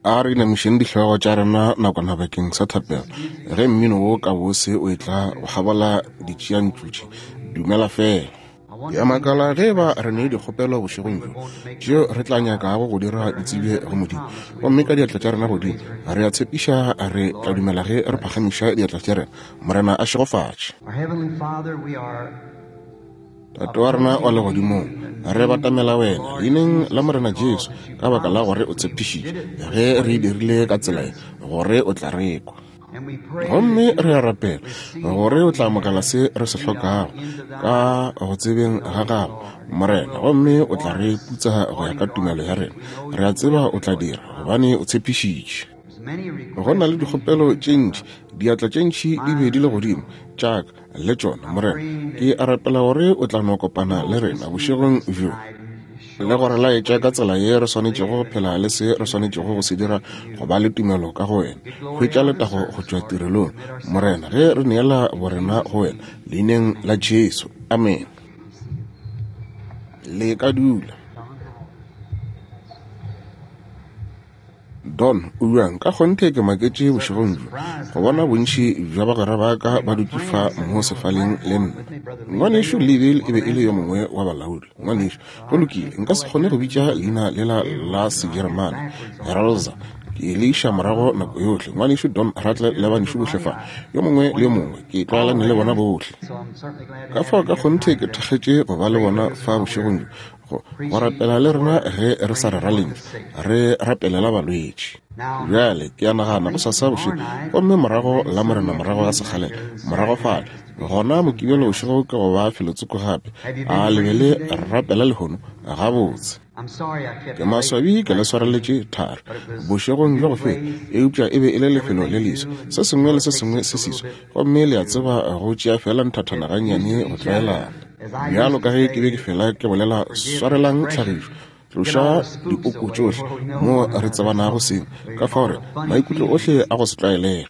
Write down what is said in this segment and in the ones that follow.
A re inamišeng dihlogo tša rena nakwana bakeng sa thapelo. Ge mmino wo ka bose o etla go kgabola ditšiantšu tše, dumela feela. Ke a makala ge eba re ne dikgopelo bošegong bjo tšeo re tla nyakago go dira di tsebje go Modimo. Gomme ka diatla tša rena godimo, re a tshepiša re tla dumela ge re phagamiša diatla tša rena. Morena a šegofatše. Tate wa rena wa legodimong, re batamela wena leineng la Morena Jesu ka baka la gore o tshepišitše ge re e dirile ka tsela ye gore o tla re kwa. Gomme re a rapela gore o tla amogela se re se hlokago ka go tsebeng ga gago, Morena, gomme o tla re putsa go ya ka tumelo ya rena. Re a tseba o tla dira, gobane o tshepišitše. Go na le dikgopelo tše ntši, diatla tše ntši di be di le godimo, tša ka le tšona, Morena. Ke a rapela gore o tla no kopana le rena bošegong bjo le go re laetša ka tsela ye re swanetšego go phela le se re swanetšego go se dira go ba le tumelo ka go wena. Hwetša letago go tšwa tirelong, Morena, ge re neela borena go wena, leineng la Jesu. Amene. Le ka dula. Don, o bjang? Ka kgonthe ke maketše bošegong bjo go bona bontši bja bagwera ba ka ba dutše fa mo sefaleng le nna. Ngwanešu Neville e be e le yo mongwe wa balaodi. Ngwanešu, go lokile, nka se kgone go bitša leina lela la Sejeremane, Heralza. Ke le iša morago nako yohle. Ngwanešu Don Ratle le banešu bohle fa, yo mongwe le yo mongwe, ke tlwaelane le bona bohle. Ka fao ka kgonthe ke thakgetše go ba le bona fa bošegong bjo, go, go rapela le rena ge re sa rera lentšu, re rapelela balwetši. Bjale, ke a nagana go sasa bošego, gomme morago Lamorena morago ga sekgalela, morago fale, gona Mokibelo bošego ke go ba felotsoko gape. A le be le rapela lehono? Gabotse. Ke maswabi ke le swareletše thari bošegong bja go feta, eupša e be e le lefelo le leswa, se sengwe le se sengwe se seswa, gomme le a tseba go tšea feela nthathana gannyane go tlwaelana. Bjalo ka ge ke be ke fela ke bolela, swarelang tlhagišo, tloša dipoko tšohle mo re tsebanago seng, ka fao re maikutlo ohle a go se tlwaelege.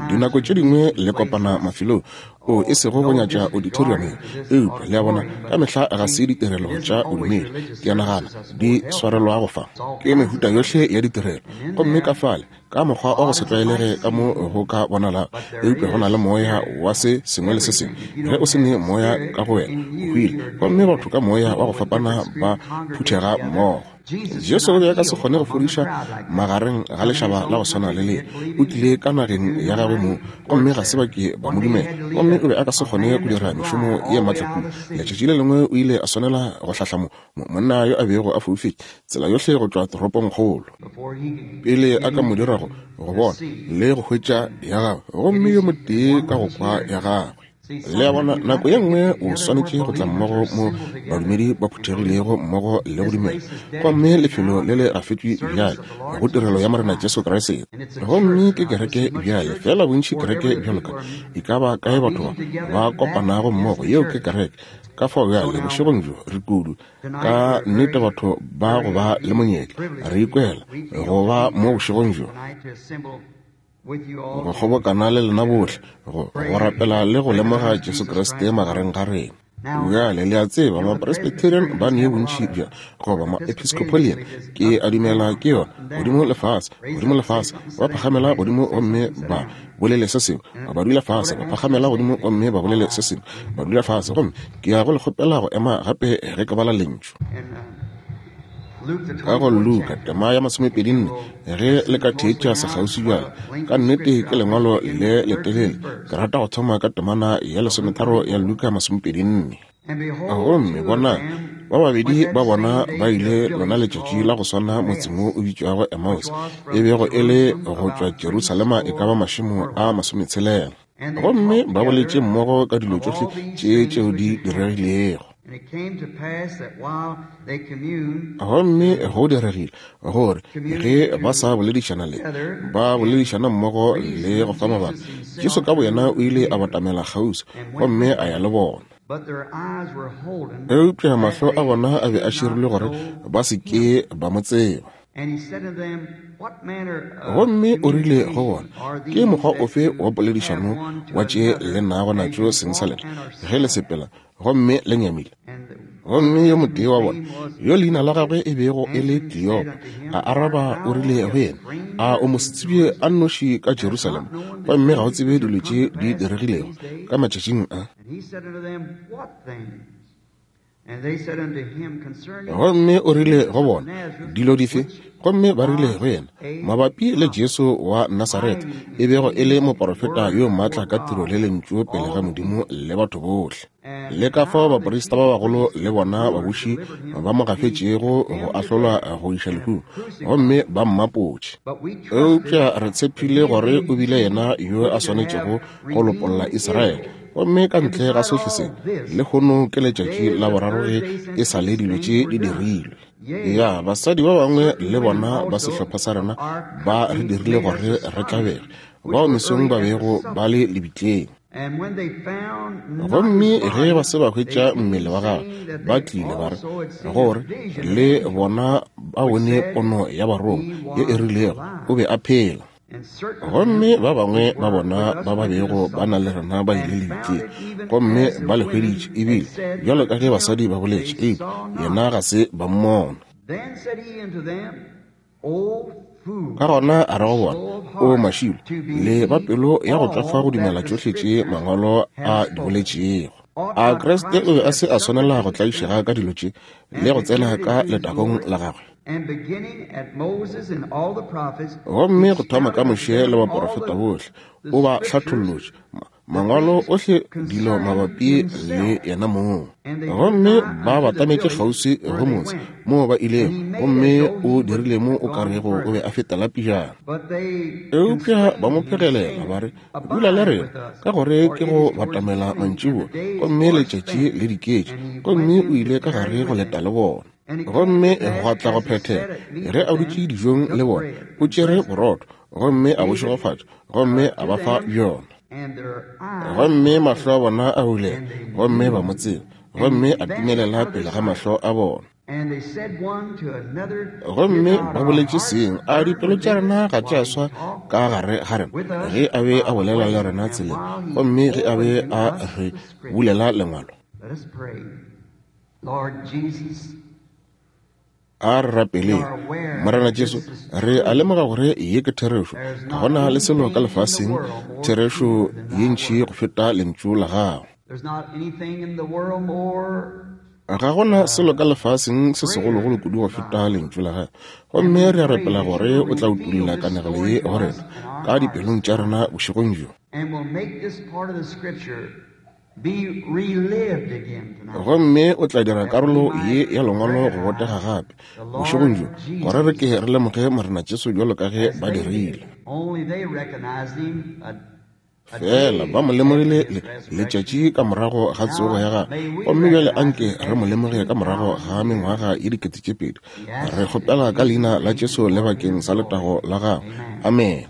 Dinako tše dingwe le kopana mafelong o e sego go nyatša auditoriumeng, eupša le a bona, ka mehla ga se ditirelo tša bodumedi, ke a nagana, di swarelwago fa. Ke mehuta yohle ya ditirelo, gomme ka fale ka mokgwa wa go se tlwaelege ka mo go ka bonalago, eupša go na le moya wa se sengwe le se sengwe. Ge o se ne moya ka go wena, o hwile. Gomme batho ka moya wa go fapana ba phuthega mmogo. Jesu o be a ka se kgone go fodiša magareng ga lešaba la go swana le le. O tlile ka nageng ya gagwe mong, gomme ga se ba ke ba mo dumela. Gomme o be a ka se kgone go dira mešomo ye matla kudu. Letšatši le lengwe o ile a swanela go hlahla mo, monna yo a bego a foufetše tsela yohle go tšwa toropongkgolo pele a ka mo dira go go bona le go hwetša ya gagwe, gomme yo motee ka go kwa ya gagwe. Le a bona, nako ye nngwe o swanetše go tla mmogo mo badumedi ba phuthegilego mmogo le go dumela, gomme lefelo le le gafetšwe bjale go tirelo ya Morena Jesu Kriste. Gomme ke kereke bjale, feela bontši kereke bjalo ka e ka ba kae batho ba ba kopanago mmogo, yeo ke kereke. Ka fao bjale, bošegong bjo, re kudu, ka nnete batho ba go ba le monyetla, re ikwela go ba mo bošegong bjo, go kgobokana le lena bohle, go, go rapela le go lemoga Jesu Kriste magareng ga rena. Bjale, le a tseba, Mapresbyterian ba ne bontši bja, goba Maepiscopalian, ke a dumela ke yona, godimo le fase, godimo le fase, ba phagamela godimo gomme ba bolele se sengwe, ba dula fase, ba phagamela godimo gomme ba bolele se sengwe, ba dula fase. Gomme ke ya go le kgopela go ema gape ge ke bala Lentšu. Ka go Luka, tema ya masomepedinne, ge le ka theetša sekgauswi bjale, ka nnete ke lengwalo le letelele. Ke rata go thoma ka temana ya lesometharo ya Luka masomepedinne. Gomme bonang, ba babedi ba bona ba ile lona letšatši la go swana motseng wo o bitšwago Emmaus, e bego e le go tšwa Jerusalema e ka ba mašemo a masometshelela. Gomme ba boletše mmogo ka dilo tšohle tše tšeo di diregilego. Gomme go diregile gore ge ba sa boledišana le ba boledišana mmogo le go fa mabaka, Jesu ka boyena o ile a batamela kgauswi gomme a ya le bona. Eupša mahlo a bona a be a širilwe gore ba se ke ba mo tseba. Gomme o rile go bona, Ke mokgwa ofe wa poledišano wa tše le nago natšo seng sa lena ge le sepela gomme le nyamile? Gomme yo motee wa bona, yo leina la gagwe e bego e le Kleopa, a araba o rile go yena, A o mosetsebje a nnoši ka Jerusalema, gomme ga o tsebe dilo tše di diregilego ka matšatšing a? Gomme o rile go bona, Dilo dife? Gomme ba rile go yena, Mabapi le Jesu wa Nasaretha, e bego e le moporofeta yo maatla ka tiro le lentšu pele ga Modimo le batho bohle, le ka fao baprista ba bagolo le bona babuši ba mo gafetšego go ahlolwa go iša lehung, gomme ba mmapotše. Eupša re tshepile gore o bile yena yo a swanetšego go lopolla Israele. Gomme ka ntle ga sohle se, lehono ke letšatši la boraro ge e sa le dilo tše di dirilwe. Ya, basadi ba bangwe le bona ba sehlopha sa rena ba re dirile gore re tlabege, bao mesong ba bego ba le lebitleng. Gomme ge ba se ba hwetša mmele wa gagwe, ba tlile ba re gore le bona ba bone pono ya barongwa ye e rilego o be a phela. Gomme ba bangwe ba bona ba ba bego ba na le rena ba ile lebitleng, gomme ba le hweditše, ebile bjalo ka ge basadi ba boletše, eupša yena ga se ba mmona. Ka gona a re go bona, O mašilo, le ba pelo ya go tšwafa go dumela tšohle tše Mangwalo a di boletšego. A Kriste o be a se a swanela go tlaišega ka dilo tše le go tsena ka letagong la gagwe? Gomme go thoma ka Moshe le baporofeta bohle, o ba hlathollotše Mangwalo ohle dilo mabapi le yena mong. Gomme ba batametše kgauswi go motse moo ba ilego, gomme o dirile mo o ka rego o be a fetela pejana. Eupša ba mo phegelela ba re, Dula le rena, ka gore ke go batamela mantšiboa, gomme letšatši le diketše. Gomme o ile ka gare go leta le bona. Gomme gwa tla go phethega, ge a dutše dijong le bona, o tšere borotho, gomme a bo šegofatša, gomme a ba fa bjona. Gomme mahlo a bona a bulega, gomme ba mo tseba, gomme a timelela pele ga mahlo a bona. Gomme ba boletše seng, a dipelo tša rena ga tša swa ka gare ga rena, ge a be a bolela le rena tseleng, gomme ge a be a re bulela lengwalo? A re rapeleng. Morena Jesu, re a lemoga gore ye ke therešo. Ga gona le selo ka lefaseng therešo ye ntši go feta lentšu la gago. Ga gona selo ka lefaseng se segologolo kudu go feta lentšu la gago. Gomme re a rapela gore o tla utolla kanegelo ye go rena ka dipelong tša rena bošegong bjo. Gomme o tla dira karolo ye ya Lengwalo go botega gape, bošegong bjo, gore re ke re lemoge Morena Jesu bjalo ka ge ba dirile. Fela ba mo lemogile le, letšatši ka morago ga tsogo ya gagwe, gomme bjale anke re mo lemoge ka morago ga mengwaga ye 2000. Re kgopela ka Leina la Jesu le bakeng sa letago la gagwe. Amene.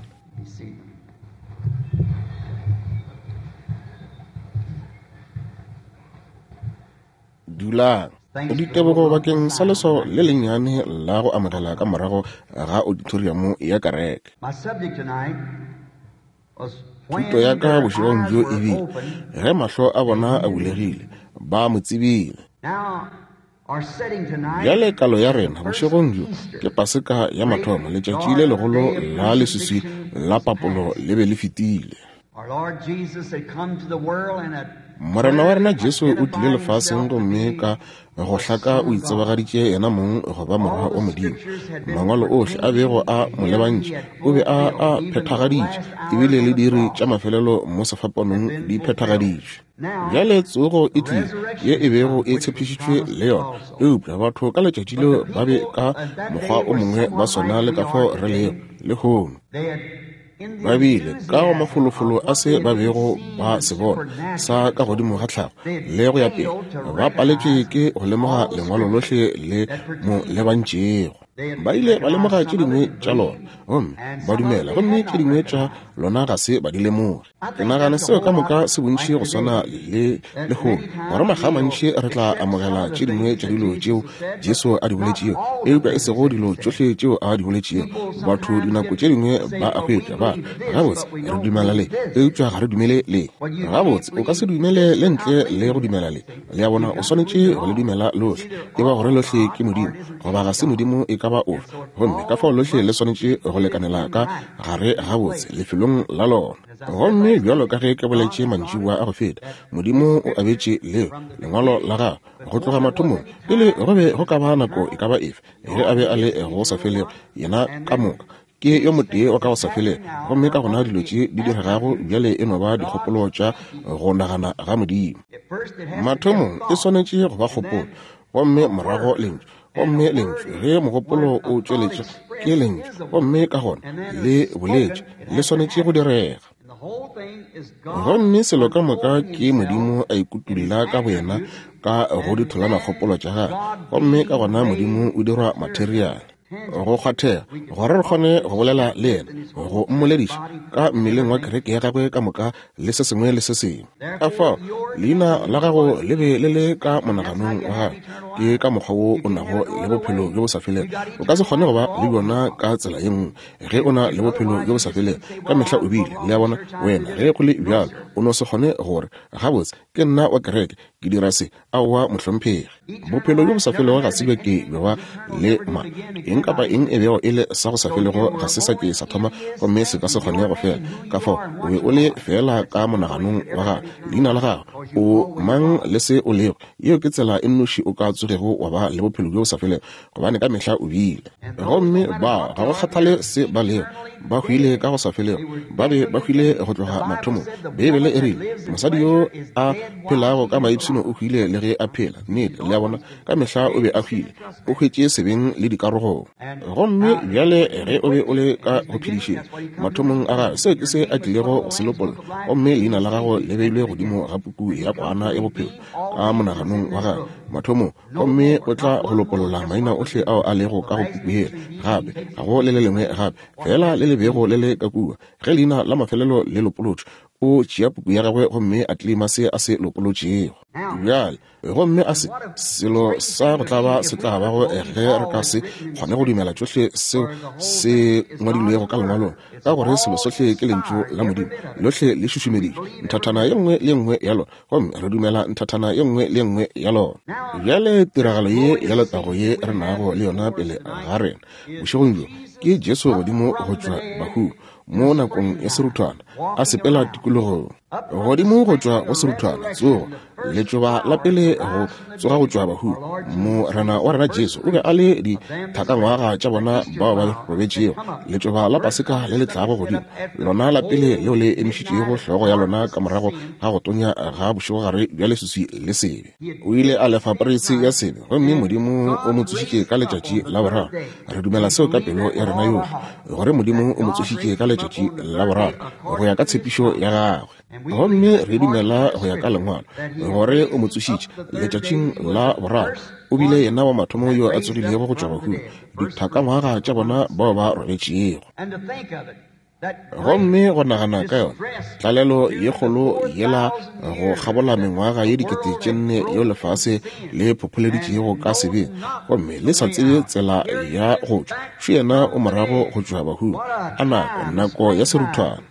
Dulang. Ditebogo bakeng sa leswao le lennyane la go amogela ka morago ga auditoriamo ya kereke. Thuto ya ka bošegong bjo e bile, Ge mahlo a bona a bulegile, ba mo tsebile. Bjale kalo ya rena bošegong bjo ke Paseka ya mathomo, letšatši le legolo la leswiswi la papolo le be le fetile. Morena wa rena Jesu o tlile lefaseng gomme ka go hlaka o itsebagaditše yena mong go ba Morwa wa Modimo. Mangwalo ohle a bego a mo lebantše o be a a phethagaditše, ebile le diiri tša mafelelo mo sefapanong di phethagaditšwe. Bjale tsogo e tlile, ye e bego e tshepišitšwe le yona. Eupša batho ka letšatši leo ba be ka mokgwa o mongwe ba swana le ka fao re lego lehono. Ba bile ka go mafolofolo a se ba bego ba se bona sa ka godimo ga tlhago le go ya pele, ba paletšwe ke go lemoga Lengwalo lohle le mo lebantšego. Ba ile ba lemoga tše dingwe tša lona gomme ba dumela, gomme tše dingwe tša Lona ga se ba di lemoge. Ke nagana seo ka moka se bontši go swana le lehono, gore makga a mantši re tla amogela tše dingwe tša dilo tšeo Jesu a di boletšego, eupša e sego dilo tšohle tšeo a di boletšego. Batho dinako tše dingwe ba a hwetša, ba re, Gabotse, re dumela le, eupša ga re dumele le. Gabotse, o ka se dumele le ntle le go dumela le. Le a bona, o swanetše go le dumela lohle. E ba gore lohle ke Modimo, goba ga se Modimo e ka ba ofe. Gomme ka fao lohle le swanetše go lekanela ka gare gabotse lefelong la lona. Gomme bjalo ka ge ke boletše mantšiboa a go feta, Modimo o abetše leo lengwalo la gagwe go tloga mathomong, pele go be go ka ba nako e ka ba efe, ge a be a le go sa felego, yena ka moka ke yo motee wa ka go sa felego. Gomme ka gona dilo tše di diregago bjale e no ba dikgopolo tša go nagana ga Modimo. Mathomong e swanetše go ba kgopolo, gomme morago lentšu. Gomme lentšu, ge mogopolo o tšweletša, ke lentšu, gomme ka gona le boletše, le swanetše go direga. Gomme selo ka moka ke Modimo a ikutulla ka boyena ka go ditholanakgopolo tša gagwe, gomme ka gona Modimo o dirwa materiale. Go kgwathega, gore re kgone go bolela le yena, go mmolediša ka mmeleng wa kereke ya gagwe ka moka le se sengwe le se sengwe. Ka fao leina la gago le be le le ka monaganong wa gagwe. Ke ka mokgwa wo o nago le bophelo bjo bo sa felego. O ka se kgone go ba le bjona ka tsela ye nngwe ge o na le bophelo bjo bo sa felego. Ka mehla o bile, le a bona, wena, ge go le bjalo, o no se kgone gore, Gabotse, ke nna wa kereke, ke dira se. Aowa, mohlomphegi. Bophelo bjo bo sa felego ga se bja ke bja ba le ma. Eng kapa eng e bego e le sa go sa felego ga se sa ke sa thoma gomme se ka se kgone go fela. Ka fao, o be o le feela ka monaganong wa gago, leina la gago, o mang le se o lego. Yeo ke tsela e nnoši o ka tsogego wa ba le bophelo bjo bo sa felego, gobane ka mehla o bile. Gomme ba, ga go kgathale se ba lego, ba hwile ka go sa felego. Ba be ba hwile go tloga mathomong. Beibele e rile, Mosadi yo a phelago ka maipshino o hwile le ge a phela. Nnete, le a bona, ka mehla o be a hwile. O hwetše sebeng le dikarogong. Gomme bjale ge o be o le ka go phedišeng mathomong a gagwe, seo ke se a tlilego go se lopolla, gomme leina la gago le beilwe godimo ga puku ya Kwana ya Bophelo ka monaganong wa gagwe mathomong. Gomme o tla go lopolola maina ohle ao a lego ka go puku yela, gape ga go le le lengwe gape, feela le le bego le le ka kua. Ge leina la mafelelo le lopolotšwe, o tšea puku ya gagwe gomme a tleleima se a se lopolotšego. Bjale, gomme a se selo sa go tlaba se tla bago ge re ka se kgone go dumela tšohle seo se ngwadilwego ka lengwalong, ka gore selo sohle ke Lentšu la Modimo, lohle le šušumeditšwe, nthathana ye nngwe le ye nngwe ya lona. Gomme re dumela nthathana ye nngwe le ye nngwe ya lona. Bjale tiragalo ye ya letago ye re nago le yona pele ga rena bošegong bjo ke Jesu godimo go tšwa bahung mo nakong ya seruthwana, a sepela tikologong godimo go tšwa go seruthwana, tsogo, letšoba la pele go tsoga go tšwa bahung. Morena wa rena Jesu o be a le dithakangwaga tša bona bao ba robetšego, letšoba la Paseka le le tlago godimo, lona la pele leo le emišitšego hlogo ya lona ka morago ga go tonya ga bošegogare bja leswiswi le sebe. O ile a lefa poreisi ya sebe, gomme Modimo o mo tsošitše ka letšatši la boraro. Re dumela seo ka pelo ya rena yohle, gore Modimo o mo tsošitše ka letšatši la boraro go ya ka tshepišo ya gagwe. Gomme re dumela go ya ka Lengwalo gore o mo tsošitše letšatšing la boraro. O bile yena wa mathomo yo a tsogilego go tšwa bahung, dithakangwaga tša bona bao ba robetšego. Gomme go nagana ka yona tlalelo ye kgolo yela go kgabola mengwaga ye 4000 yeo lefase le phopholeditšego ka sebeng, gomme le sa tsebe tsela ya go tšwa, šo yena o morago go tšwa bahung. A nako, nako ya seruthwana.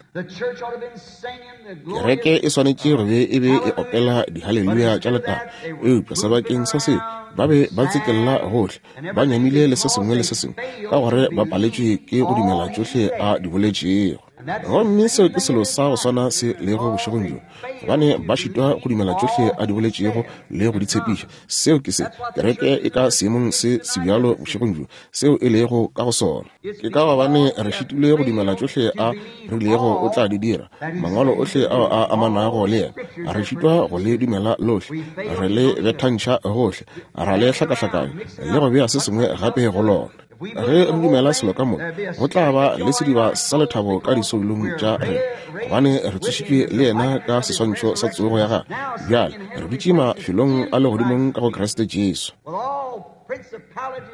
Kereke e swanetše go be e be e opela dihaleluya tša letago, eupša sebakeng sa seo ba be ba tsekella gohle, ba nyamile le se sengwe le se sengwe, ka gore ba paletšwe ke go dumela tšohle a di boletšego. Gomme seo ke selo sa go swana se lego bošegong bjo, gobane ba šitwa go dumela tšohle a di boletšego le go di tshepiša. Seo ke se kereke e ka seemong se sebjalo bošegong bjo, seo e lego ka go sona. Ke ka gobane re šitilwe go dumela tšohle a rilego o tla di dira, mangwalo ohle ao a amanago le yena. Re šitwa go le dumela lohle, re le bethantšha gohle, ra le hlakahlakanya le go bea se sengwe gape go lona. Ge re dumela selo ka moka, go tla ba le sediba sa lethabo ka disoulong tša rena, gobane re tsošitšwe le yena ka seswantšho sa tsogo ya gagwe. Bjale re dutše mafelong a legodimong ka go Kriste Jesu.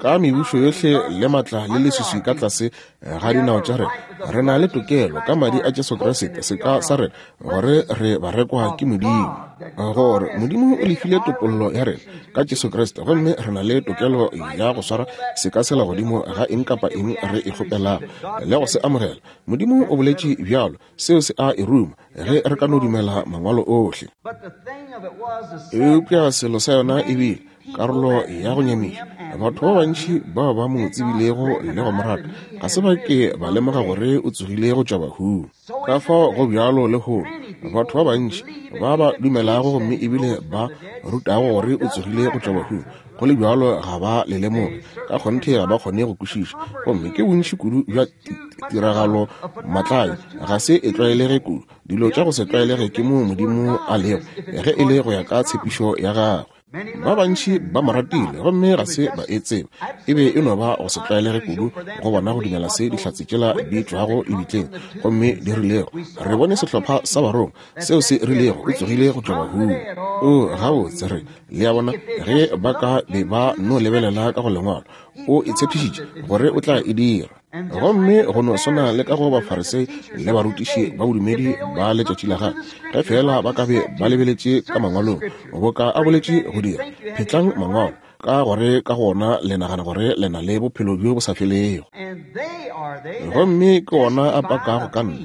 Ka mebušo yohle le matla le leswiswi ka tlase ga dinao tša rena, re na le tokelo ka madi a Jesu Kriste, seka sa rena, gore re barekwa ke Modimo, gore Modimo o lefile topollo ya rena ka Jesu Kriste, gomme re na le tokelo ya go swara seka sela godimo ga eng kapa eng re e kgopelago le go se amogela. Modimo o boletše bjalo, seo se a e ruma, ge re ka no dumela Mangwalo ohle. Eupša selo sa yona e bile karolo ya go nyamiša. Batho ba bantši bao ba mo tsebilego le go mo rata ga se ba ke ba lemoga gore o tsogile go tšwa bahung. Ka fao go bjalo lehono, batho ba bantši ba ba dumelago gomme ebile ba rutago gore o tsogile go tšwa bahung, go le bjalo ga ba le lemoge. Ka kgonthe ga ba kgone go kwešiša. Gomme ke bontši kudu bja tiragalo matlae, ga se e tlwaelege kudu. Dilo tša go se tlwaelege ke moo Modimo a lego, ge e le go ya ka tshepišo ya gagwe. Ba bantši ba mo ratile gomme ga se ba e tseba. E be e no ba go se tlwaelege kudu go bona go dumela se dihlatse tšela di tšwago lebitleng gomme di rilego, Re bone sehlopha sa barongwa seo se rilego o tsogile go tšwa bahung. O, gabotse re, le a bona, ge ba ka be ba no lebelela ka go Lengwalo, o e tshepišitše gore o tla e dira. Gomme go no swana le ka go Bafarisei le barutiši ba bodumedi ba letšatši la gagwe, ge feela ba ka be ba lebeletše ka Mangwalong, boka a boletše go dira, phetlang Mangwalo, ka gore ka go ona le nagana gore le na le bophelo bjo bo sa felego. Gomme ke ona a pakago ka nna,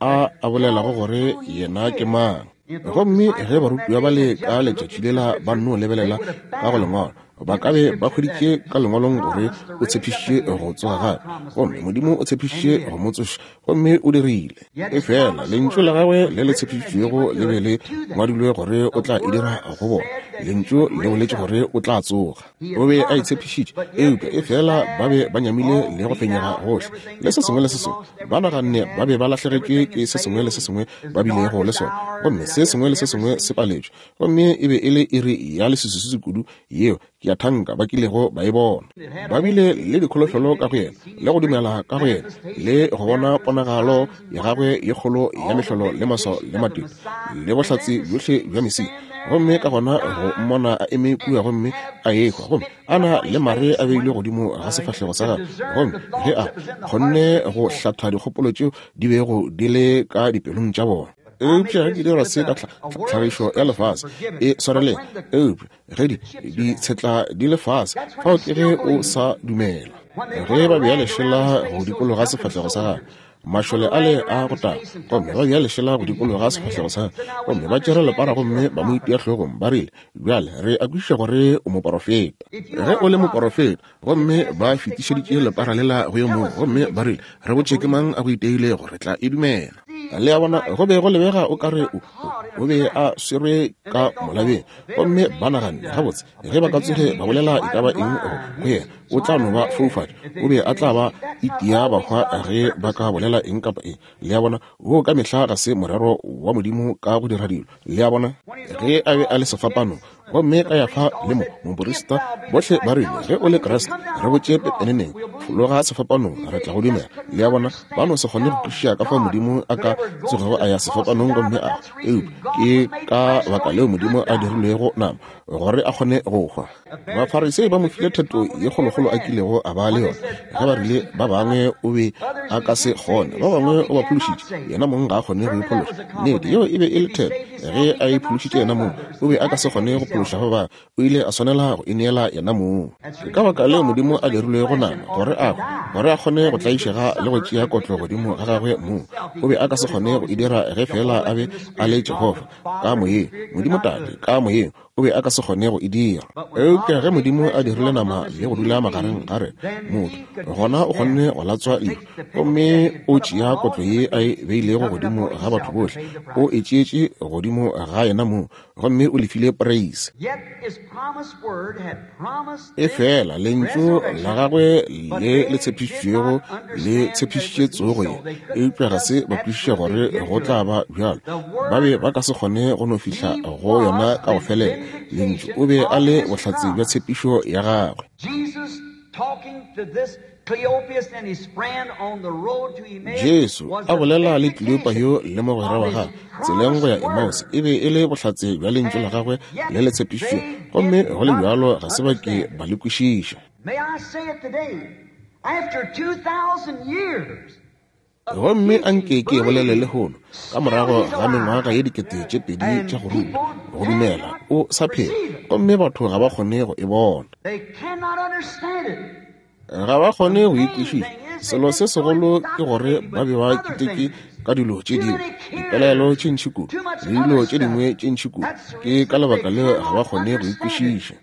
a a bolelago gore yena ke mang. Gomme ge barutiwa ba le ka letšatši lela ba nno lebelela ka go Lengwalo, ba ka be ba hweditše ka Lengwalong gore o tshepišitše go tsoga gape, gomme Modimo o tshepišitše go mo tsoša, gomme o dirile. Efela Lentšu la gagwe le le tshepišitšwego le be le ngwadilwe gore o tla e dira go bona. Lentšu le boletše gore o tla tsoga. O be a itshepišitše, eupša efela ba be ba nyamile le go fenyega gohle le se sengwe le se sengwe. Ba naganne ba be ba lahlegetšwe ke se sengwe le se sengwe ba bilego le sona, gomme se sengwe le se sengwe se paletšwe. Gomme e be e le iri ya leswiswiswi kudu yeo ke a thanka ba kilego ba e bona. Ba bile le dikholofelo ka go yena, le go dumela ka go yena, le go bona ponagalo ya gagwe ye kgolo ya mehlolo le maswao le matete, le bohlatse bjohle bja Mesia. Gomme ka gona go mmona a eme kua gomme a ehwa, gomme a na le mare a beilwe godimo ga sefahlego sa gagwe, gomme ge a kgonne go hlatha dikgopolo tšeo di bego di le ka dipelong tša bona. Eupša ge ke dira se ka tlhagišo ya lefase, e swareleng. Eupša ge di ditshetla di le fase, fao ke ge o sa dumela. Ge ba bea lešela go dikologa sefahlego sa gagwe, mašole ale a go taga, gomme ba bea lešela go dikologa sefahlego sa gagwe, gomme ba tšere lepara gomme ba mo itia hlogong, ba rile, Bjale re a kwešiša gore o moporofeta. Ge o le moporofeta, gomme ba fetišeditše lepara lela go yo mongwe, gomme ba rile, Re botše ke mang a go iteilego, re tla e dumela. Le a bona, go be go lebega o ka re o, o be a swerwe ka molabeng. Gomme ba naganne, gabotse, ge ba ka tsoge ba bolela e ka ba eng go, go yena, o tla no ba foufatša. O be a tla ba itia ba hwa ge ba ka bolela eng kapa eng. Le a bona, woo ka mehla ga se morero wa Modimo ka go dira dilo. Le a bona? Ge a be a le sefapanong, gomme ka ya fa le mo moporista, bohle ba rile, Ge o le Kriste, re botše pepeneneng, fologa sefapanong, re tla go dumela. Le a bona, ba no se kgone go kwešiša ka fao Modimo a ka tsogego a ya sefapanong gomme a, eupša ke ka baka leo Modimo a dirilwego nama, gore a kgone go hwa. Bafarisei ba mo file theto ye kgolokgolo a kilego a ba le yona, ge ba rile ba bangwe o be a ka se kgone, ba bangwe o ba phološitše, yena mong ga a kgone go iphološa. Nnete, yeo e be e le theto. Ge a iphološitše yena mong, o be a ka se kgone go phološa ba bangwe. O ile a swanela go ineela yena mong. Ke ka baka leo Modimo a dirilwego nama, gore a hwe, gore a kgone go tlaišega le go tšea kotlo godimo ga gagwe mong. O be a ka se kgone go e dira ge feela a be a le Jehofa, ka moyeng, Modimo Tate, ka moyeng. O be a ka se kgone go e dira. Eupša ge Modimo a dirile nama le go dula magareng ga rena, motho, gona o kgonne go latswa lehu, gomme o tšea kotlo ye a e beilego godimo ga batho bohle, o e tšeetše godimo ga yena mong, gomme o lefile poreise. Efela Lentšu la gagwe le le tshepišitšwego le tshepišitše tsogo ye, eupša ga se ba kwešiša gore go tla ba bjalo. Ba be ba ka se kgone go no fihla go yona ka go felela. Lentšu o be a le bohlatse bja tshepišo ya gagwe. Jesu a bolela le Kleopa yo le mogwera wa gagwe tseleng go ya Emmaus e be e le bohlatse bja lentšu la gagwe le le tshepišitšwego, gomme go le bjalo ga se ba ke ba le kwešiša. Gomme a nke ke e bolele lehono, ka morago ga mengwaga ye 2000 tša go ruta, go dumela, o sa phela, gomme batho ga ba kgone go e bona. Ga ba kgone go e kwešiša. Selo se segolo ke gore ba be ba kitetše ka dilo tše dingwe, dipelaelo tše ntši kudu, le dilo tše dingwe tše ntši kudu. Ke ka lebaka leo ga ba kgone go e kwešiša.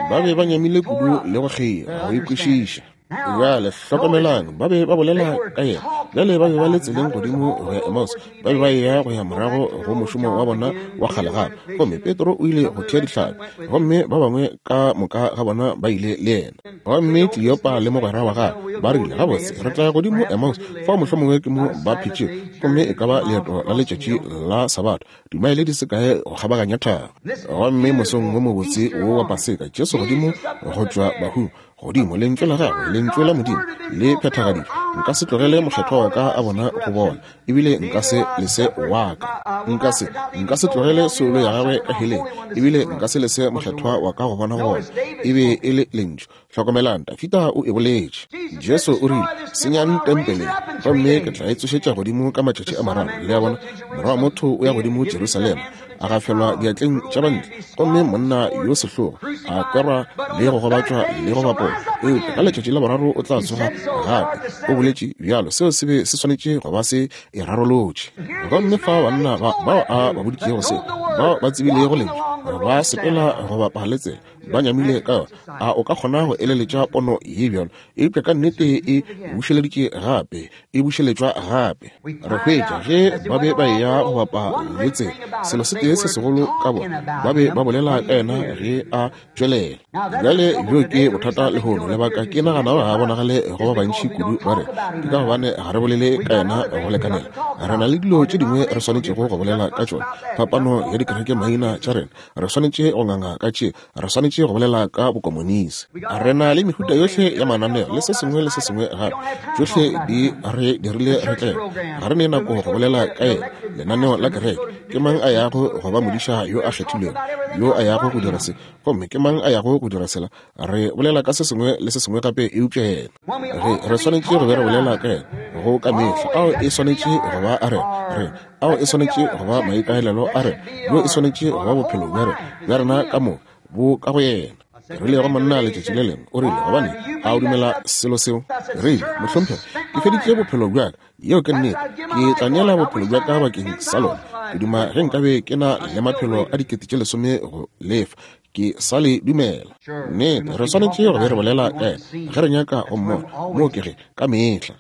Ba be ba nyamile kudu le go kgeila go e kwešiša. Bjale hlokomelang, ba be ba bolela ka yena. Bjale ba be ba le tseleng godimo go ya Emmaus. Ba be ba eya go ya morago go mošomo wa bona wa kgale gape. Gomme Petro o ile go thea dihlapi, gomme ba bangwe ka moka ga bona ba ile le yena. Gomme Kleopa le mogwera wa gagwe ba rile, Gabotse, re tla ya godimo Emmaus, fao mohlomongwe ke mo ba phetšego, gomme e ka ba leeto la letšatši la Sabatha, dimaele di se kae go kgabaganya thaba. Gomme mosong wo mobotse wo wa Paseka, Jesu godimo go tšwa bahung, godimo lentšu la gagwe, lentšu la Modimo le phethagaditšwe. Nka se tlogele mokgethwa wa ka a bona go bona, ebile nka se lese wa ka. Nka se, nka se tlogele soulo ya gagwe ka heleng, ebile nka se lese mokgethwa wa ka go bona go bona. E be e le lentšu. Hlokomelang, Dafida o e boletše. Jesu o rile, Senyang tempele, gomme ke tla e tsošetša godimo ka matšatši a mararo. Le a bona? Morwa wa motho o ya godimo Jerusalema, a gafelwa diatleng tša bantle, gomme monna yo sehlogo a kwerwa le go gobatšwa le go bapolwa, eupša ka letšatši la boraro o tla tsoga gape. O boletše bjalo. Seo se be se swanetše go ba se e rarolotše. Gomme fa banna ba bao a ba boditšego seo, bao ba tsebilego lentšu, ba sepela go bapa le tsela, ba nyamile ka yona. A o ka kgona go eleletša pono ye bjalo? Eupša ka nnete e bušeleditše gape, e bušeletšwa gape. Re hwetša ge ba be ba eya go bapa le tsela, selo se tee se segolo ka bona, ba be ba bolela ka yena ge a tšwelela. Bjale bjo ke bothata lehono. Lebaka ke nagana ga bonagale go ba bantši kudu ba re, ke ka gobane ga re bolele ka yena go lekanela. Re na le dilo tše dingwe re swanetšego go bolela ka tšona, phapano ya dikereke maina tša rena. Re swanetše go nganga ka tše, re swanetše go bolela ka bokomonisi. Re na le mehuta yohle ya mananeo le se sengwe le se sengwe gape, tšohle di re dirile re tlele. Ga re ne nako go bolela ka yena. Lenaneo la kereke, ke mang a yago go ba modiša yo a kgethilwego, yo a yago go dira se, gomme ke mang a yago go dira sela? Re bolela ka se sengwe le se sengwe gape eupša yena. Ge re swanetše go be re bolela ka yena go ka mehla, ao e swanetše go ba a rena, re ao e swanetše go ba maikaelelo a rena, bjo e swanetše go ba bophelo bja rena, bja rena ka moka bo ka go yena. Ke rile go monna letšatši le lengwe, o rile, Gobane a o dumela selo seo? Ke rile, Mohlomphegi, ke feditše bophelo bja ka. Yeo ke nnete. Ke tla neela bophelo bja ka bakeng sa lona. Ke duma ge nkabe ke na le maphelo a 10,000 go lefa. Ke sa le dumela. Nnete, re swanetše go be re bolela ka yena ge re nyaka go mmona. Moo ke ge, ka mehla.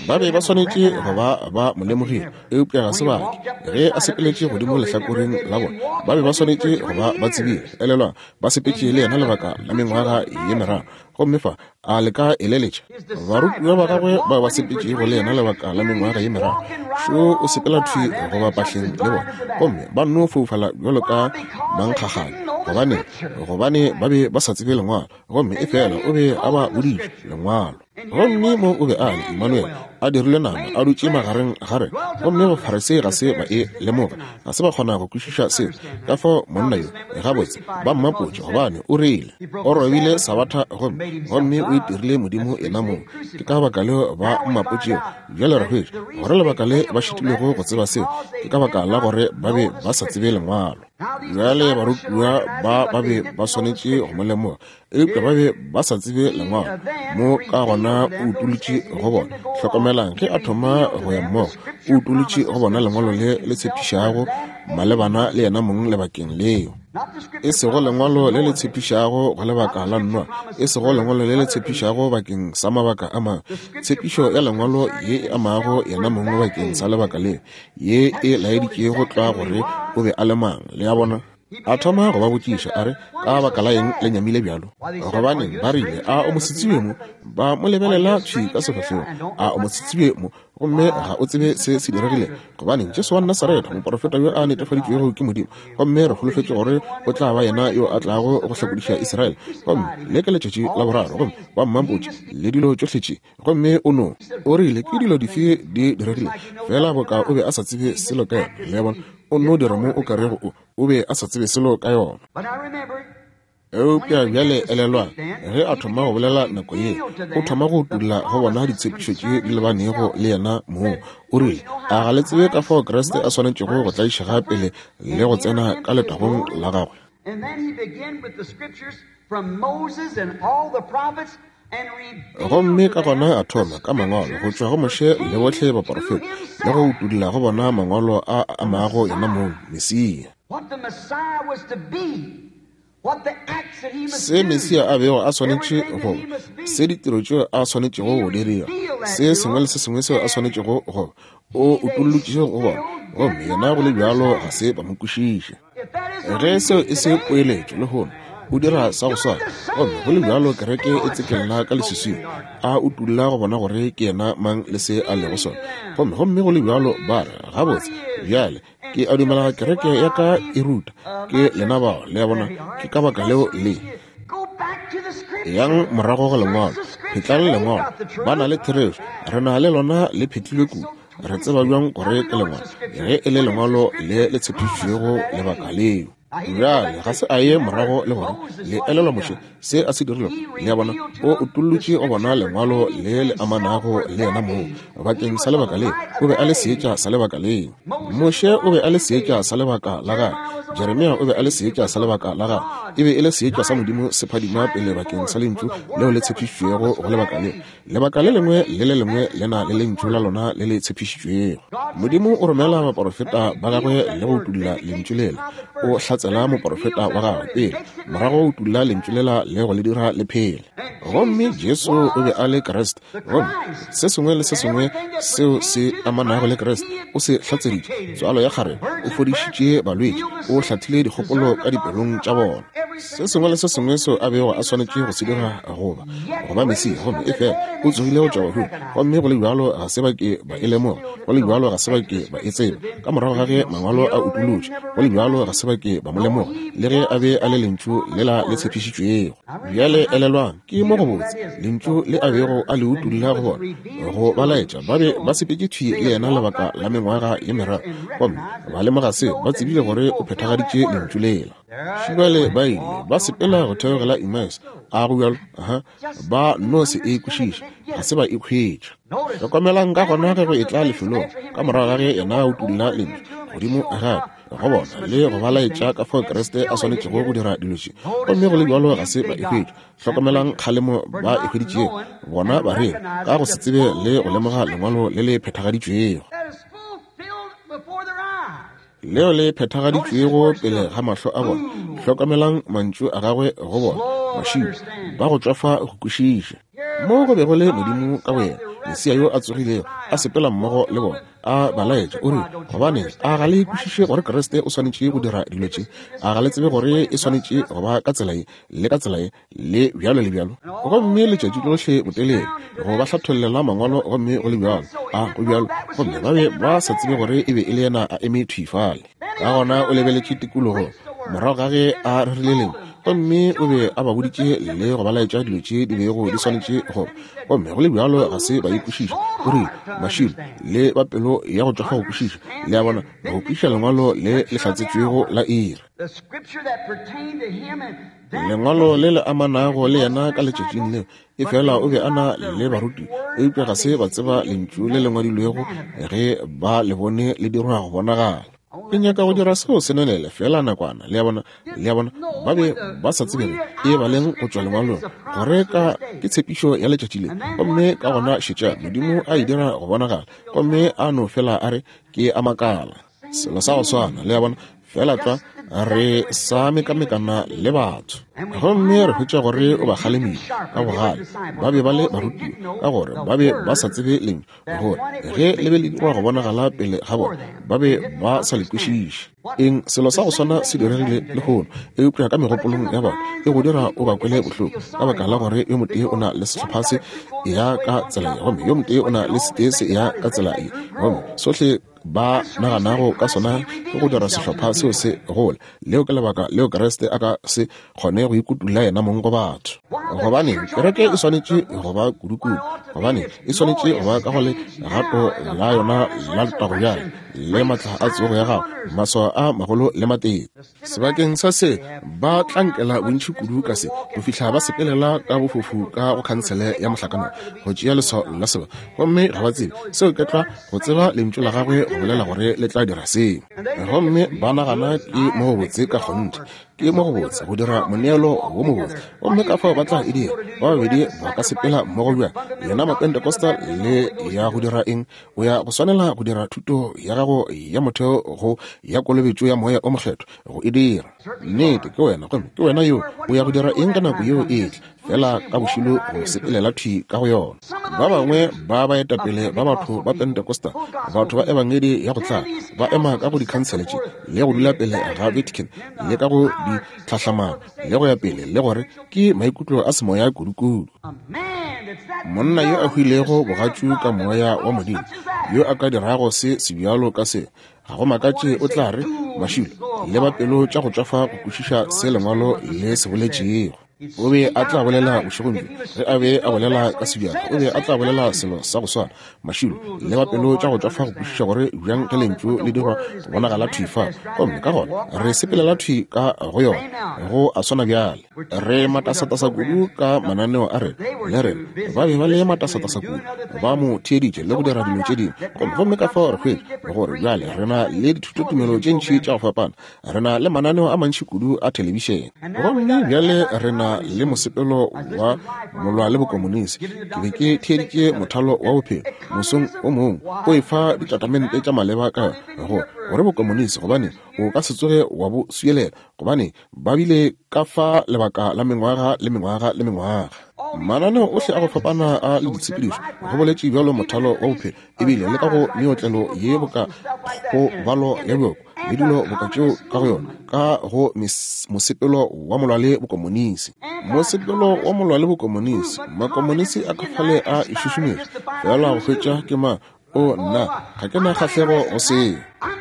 Ba be ba swanetše go ba ba mo lemogile, eupša ga se ba ke. Ge a sepeletše godimo lehlakoreng la bona, ba be ba swanetše go ba ba tsebile. Elelwang, ba sepetše le yena lebaka la mengwaga ye meraro. Gomme fa, a le ka eleletša, barutiwa ba gagwe bao ba sepetšego le yena lebaka la mengwaga ye meraro, šo o sepela thwi go ba pahleng le bona, gomme ba nno foufala bjalo ka mankgagane. Gobane, gobane ba be ba sa tsebe Lengwalo, gomme efela o be a ba boditše Lengwalo. Gomme mo o be a le, Emmanuel, a dirilwe nama, a dutše magareng ga rena. Gomme Bafarisei ga se ba e lemoga, ga se ba kgona go kwešiša seo. Ka fao monna yo, gabotse, ba mmapotše, gobane o rile o robile Sabatha gomme, gomme o itirile Modimo yena mong. Ke ka baka leo ba mmapotšego. Bjale re hwetša gore lebaka le ba šitilwego go tseba seo ke ka baka la gore ba be ba sa tsebe Lengwalo. Bjale barutiwa ba ba be ba swanetše go mo lemoga, eupša ba be ba sa tsebe lengwalo. Mo ka gona o utolotše go bona. Hlokomelang, ge a thoma go ya mmogo, o utolotše go bona lengwalo le le tshepišago malebana le yena mong lebakeng leo. E sego lengwalo le le tshepišago go lebaka la Noa, e sego lengwalo le le tshepišago bakeng sa mabaka a mangwe. Tshepišo ya lengwalo ye e amago yena mong bakeng sa lebaka leo, ye e laeditšego tlwa gore o be a le mang. Le a bona? A thoma go ba botšiša, a re, Ka baka la eng le nyamile bjalo? Gobaneng, ba rile, a o mosetsebje mo? Ba mo lebelela thwi ka sefahlegong. A o mosetsebje mo? Gomme ga o tsebe se se diregile? Gobaneng, Jesu wa Nasaretha, moporofeta yo a netefaditšwego ke Modimo, gomme re holofetše gore o tla ba yena yo a tlago go hlakodiša Israele. Gomme le ke letšatši la boraro, gomme ba mmampotše le dilo tšohle tše. Gomme o no, o rile, ke dilo dife di diregile? Feela boka o be a sa tsebe selo ka yona. Le a bona? O nno dira mo o ka rego o, o be a sa tsebe selo ka yona. Eupša bjale elelwang, ge a thoma go bolela nako ye, o thoma go utolla go bona ditshepišo tše di lebanego le yena mong. O rile, A ga le tsebe ka fao Kriste a swanetšego go tlaišega pele le go tsena ka letagong la gagwe? Gomme ka gona a thoma ka mangwalo go tšwa go Moshe le bohle baporofeta, le go utolla go bona mangwalo a a amago yena mong, Mesia. Se Mesia a bego a swanetše go ba, se ditiro tšeo a swanetšego go di dira, se sengwe le se sengwe seo a swanetšego go ba, o utollotše go bona, gomme yena go le bjalo ga se ba mo kwešiše. Ge seo e se poeletšo lehono, o dira sa go swana, gomme go le bjalo kereke e tsekella ka leswiswing, a utolla go bona gore ke yena mang le se a lego sona. Gomme, gomme go le bjalo ba re, Gabotse, bjale, ke a dumela kereke ya ka e ruta. Ke lena bao, le a bona, ke ka baka leo le. Yang morago go Lengwalo, phetlang Lengwalo, ba na le therešo, re na le lona le phetlilwe kudu. Re tseba bjang gore ke Lengwalo, ge e le Lengwalo le le tshepišitšwego lebaka leo. Bjale, ga se a ye morago le gore le elelwa Moshe se a se dirilego. Le a bona, o utollotše go bona Lengwalo le le amanago le yena mong bakeng sa lebaka leo. O be a le seetša sa lebaka leo. Moshe o be a le seetša sa lebaka la gagwe. Jeremia o be a le seetša sa lebaka la gagwe. E be e le seetša sa Modimo se phadima pele bakeng sa Lentšu leo le tshepišitšwego go lebaka leo. Lebaka le lengwe le le lengwe le na le lentšu la lona le le tshepišitšwego. Modimo o romela baporofeta ba gagwe le go utolla lentšu lela. O hlatsela moporofeta wa gagwe pele, morago o utolla lentšu lela le go le dira le phele. Gomme Jesu o be a le Kriste, gomme se sengwe le se sengwe seo se amanago le Kriste o se hlatseditše. Tswalo ya kgarebe, o fodišitše balwetši, o hlathile dikgopolo ka dipelong tša bona. Se sengwe le se sengwe seo a bego a swanetše go se dira goba go ba Mesia, gomme efela o tsogile go tšwa bahung, gomme go le bjalo ga se ba ke ba e lemoga, go le bjalo ga se ba ke ba e tseba. Ka morago ga ge Mangwalo a utolotšwe, go le bjalo ga se ba ke ba mo lemoga, le ge a be a le Lentšu lela le tshepišitšwego. Bjale elelwang, ke mo gobotse, Lentšu le a bego a le utolla go bona, go ba laetša ba be ba sepetše thwi le yena lebaka la mengwaga ye meraro, gomme ba lemoga seo, ba tsebile gore o phethagaditše Lentšu lela. Šibale ba ile ba sepela go theogela Emmaus, a go bjalo? Aha, ba no se e kwešiše, ga se ba e hwetša. Hlokomelang ka gona ge go etla lefelong, ka morago ga ge yena a utolla Lentšu godimo gape go bona le go ba laetša ka fao Kriste a swanetšego go dira dilo tše, gomme go le bjalo ga se ba e hwetša. Hlokomelang kgalemo ba e hweditšego bona bareri ka go se tsebe le go lemoga Lengwalo le le phethagaditšwego. Leo le phethagaditšwego pele ga mahlo a bona. Hlokamelang mantšu a gagwe go bona, Mašilo, ba go tšwafa go kwešiša. Mo go bego le Modimo ka boyena, Mesia yo a tsogilego, a sepela mmogo le bona, a ba laetša, o rile, Gobaneng, a ga le kwešiše gore Kriste o swanetše go dira dilo tše? A ga le tsebe gore e swanetše go ba ka tsela ye, le ka tsela ye, le bjalo le bjalo? Gomme letšatši lohle botelele go ba hlathollela mangwalo, gomme go le bjalo, a go bjalo, gomme ba be ba sa tsebe gore e be e le yena a eme thwi fale. Ka gona o lebeletše tikologong morago ga ge a rerile lengwe, gomme o be a ba boditše le go ba laetša dilo tše di bego di swanetše go ba, gomme go le bjalo ga se ba e kwešiša. O rile, Mašilo le ba pelo ya go tšwafa go kwešiša, le a bona, go kwešiša lengwalo le le hlatsetšwego la iri. Lengwalo le le amanago le yena ka letšatšing leo, efela o be a na le baruti, eupša ga se ba tseba lentšu le le ngwadilwego ge ba le bone le dirwa go bonagala. Ke nyaka go dira seo se nonele feela nakwana, le a bona, le a bona, ba be ba sa tsebe ge e baleng go tšwa lengwalong gore ka ke tshepišo ya letšatši le, gomme ka gona šetša Modimo a e dira go bonagala, gomme a no fela a re, Ke a makala. Selo sa go swana, le a bona. Feela tlwa re sa mekamekana le batho. Gomme re hwetša gore o ba kgalemile ka bogale. Ba be ba le barutiwa, ka gore ba be ba sa tsebe Lentšu, gore ge le be le dirwa go bonagala pele ga bona, ba be ba sa le kwešiše. Eng, selo sa go swana se diregile lehono, eupša ka megopolong ya batho e go dira o ba kwele bohloko, ka baka la gore yo motee o na le sehlopha se ya ka tsela ye, gomme yo motee o na le setee se ya ka tsela ye, gomme sohle ba naganago ka sona ke go dira sehlopha seo se gole. Leo ke lebaka leo Kriste a ka se kgone go ikutulla yena mong go batho. Gobaneng, kereke e swanetše go ba kudukudu, gobaneng e swanetše go ba ka go legato la yona la letago bjale, le matla a tsogo ya gago, maswao a magolo le matete. Sebakeng sa se, ba tlankela bontši kudu ka se, go fihla ba sepelela ka bofofu ka go khansele ya mohlakanong, go tšea leswao la seba, gomme ga ba tsebe seo ke tlwa go tseba Lentšu la Gagwe go bolela gore le tla dira seo. Gomme ba nagana ke mo go botse ka kgonthe, ke mo go botse go dira moneelo wo mobotse, gomme ka fao ba tla e dira. Ba babedi ba ka sepela mmogo bjang? Lena Mapentecostal le ya go dira eng? O ya go swanela go dira thuto ya gago ya motheo go ya kolobetšo ya Moya o Mokgethwa go e dira. Nnete, ke wena, gomme ke wena yo. O ya go dira eng ka nako yeo e etla? Fela ka bošilo go sepelela thwi ka go yona. Ba bangwe ba baetapele ba batho ba Pentecostal, batho ba ebangedi ya go tlala, ba ema ka go dikhansele tše le go dula pele ga Vatican le ka go ditlhahlamano le go ya pele, le gore ke maikutlo a semoya kudukudu. Monna yo a hwilego bogatšu ka Moya wa Modimo, yo a ka dirago se sebjalo ka se, ga go makatše o tla re, Mašilo, le ba pelo tša go tšwafa go kwešiša se Lengwalo le se boletšego. O be a tla bolela bošegong bjo, ge a be a bolela ka sebjalo, o be a tla bolela selo sa go swana. Mašilo, le ba pelo tša go tšwafa go kwešiša gore bjang ge Lentšu le dirwa go bonagala thwi fa, gomme ka gona re sepelela thwi ka go yona. Go a swana bjale. Re matasatasa kudu ka mananeo a rena, le rena. Ba be ba le matasatasa kudu, ba mo theeditše le go dira dilo tše dingwe. Gomme, gomme ka fao re hwetša gore bjale re na le dithutotumelo tše ntši tša go fapana. Re na le mananeo a mantši kudu a thelebišene. Gomme bjale re na le mosepelo wa molwa le bokomonisi. Ke be ke theeditše mothalo wa bophelo mosong o mongwe o efa ditatamente tša maleba ka go gore bokomonisi, gobane o ka se tsoge wa bo swielela, gobane ba bile ka fa lebaka la mengwaga le mengwaga le mengwaga. Mananeo ohle a go fapana a le ditshepedišo, go boletše bjalo mothalo wa bophelo, ebile le ka go meotlelo ye boka go balo ya bjoko le dilo boka tšeo ka go yona, ka go mosepelo wa molwa le bokomonisi. Mosepelo wa molwa le bokomonisi, makomonisi a ka fale a e šušumetša feela go hwetša ke mang. O, nna, ga ke na kgahlego go seo.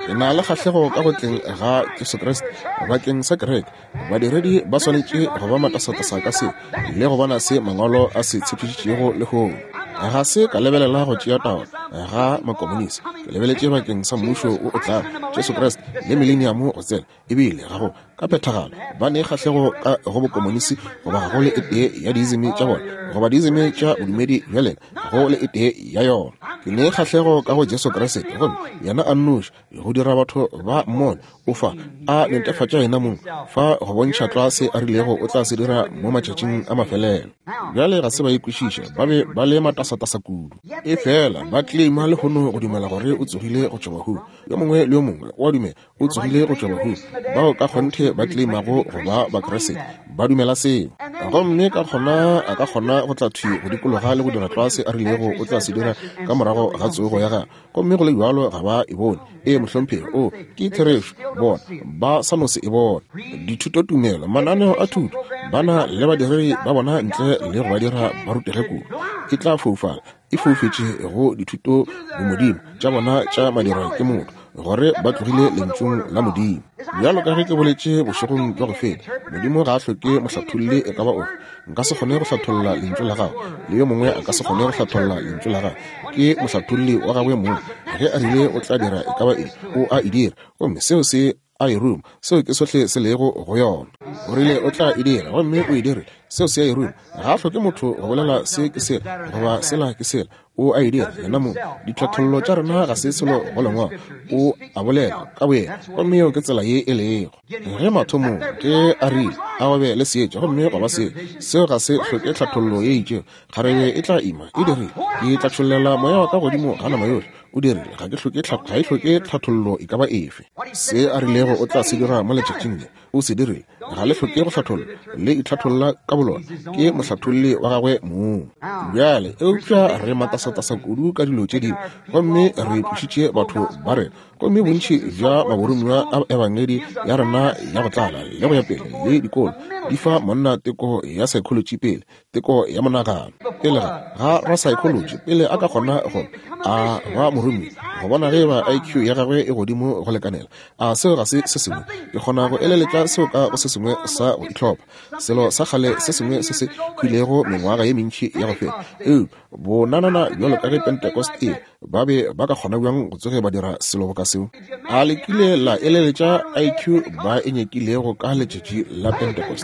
Ke na le kgahlego ka go tleng ga Jesu Kriste bakeng sa kereke. Badiredi ba swanetše go ba matasatasa ka se le go bona se Mangwalo a se tshepišitšego lehono. Ga se ka lebelela go tšea taolo ga makomonisi. Ke lebeletše bakeng sa Mmušo wo o tlago, Jesu Kriste le Mileniamo go tsena. Ebile ga go ka phethagalo ba ne kgahlego ka go bokomonisi goba ga go le e tee ya diizimi tša bona goba diizimi tša bodumedi bja lena, go le e tee ya yona. Ke ne kgahlego ka go Jesu Kriste, gomme yena a nnoši go dira batho ba mmone o fa a netefatša yena mong fa go bontšha tlwa se a rilego o tla se dira mo matšatšing a mafelelo. Bjale ga se ba e kwešiša, ba be ba le matasatasa kudu. Efela ba tleleima lehono go dumela gore o tsogile go tšwa bahung. Yo mongwe le yo mongwe o a dumela o tsogile go tšwa bahung. Bao ka kgonthe ba tleimago go ba Bakriste ba dumela seo. Gomme ka gona a ka kgona go tla thwi go dikologa le go dira tlwa se a rilego o tla se dira ka morago ga tsogo ya gagwe. Gomme go le bjalo ga ba e bone. Ee, mohlomphegi. O, ke therešo. Bona, ba sa no se e bone. Dithutotumelo, mananeo a thuto, ba na le badiredi ba bona ntle le go ba dira ba rutege kudu. E tla foufala. E foufetše go dithuto bomodimo tša bona tša madirwa ke motho, gore ba tlogile Lentšung la Modimo. Bjalo ka ge ke boletše bošegong bja go feta, Modimo ga a hloke mohlatholli e ka ba ofe. Nka se kgone go hlatholla Lentšu la Gagwe, le yo mongwe a ka se kgone go hlatholla Lentšu la Gagwe. Ke mohlatholli wa Gagwe mong. Ge A rile O tla dira e ka ba eng, O a e dira. Gomme seo se a e ruma. Seo ke sohle se lego go yona. O rile O tla e dira, gomme O e dirile. Seo se a e ruma. Ga a hloke motho go bolela se ke sela goba sela ke sela. O a e dira yena mong. Ditlhathollo tša rena ga se selo go Lengwalo. O a bolela ka boyena, gomme yeo ke tsela ye e lego. Ge mathomong ge a rile a go be le seetša gomme gwa ba seetša, seo ga se hloke tlhathollo ye itšego. Kgarebe e tla ima, e dirile. Ke tla tšhollela moya wa ka godimo ga nama yohle. O dirile. Ga ke hloke, ga e hloke tlhathollo e ka ba efe. Se a rilego o tla se dira mo letšatšing le, o se dirile. Ga le hloke go hlatholla, le itlhatholla ka bolona. Ke mohlatholli wa gagwe mong. Bjale, eupša re matasatasa kudu ka dilo tše dingwe, gomme re tlošitše batho ba rena. Gomme bontši bja maboromiwa a ebangedi ya rena ya go tlala le go ya pele le dikolo di fa monna teko ya psychology pele, teko ya monagano pele ga ga rasaekholotši pele a ka kgona go a ba moromi go bona ge ba IQ ya gagwe e godimo go lekanela. A seo ga se se sengwe? Ke kgona go eleletša seo ka go se sengwe sa go itlhopha, selo sa kgale se sengwe se se hwilego mengwaga ye mentši ya go feta. Eupša bonanana bjalo ka ge Pentecost e ba be ba ka kgona bjang go tsoge ba dira selo boka seo? A le kile la eleletša IQ ba e nyakilego ka letšatši la Pentecost?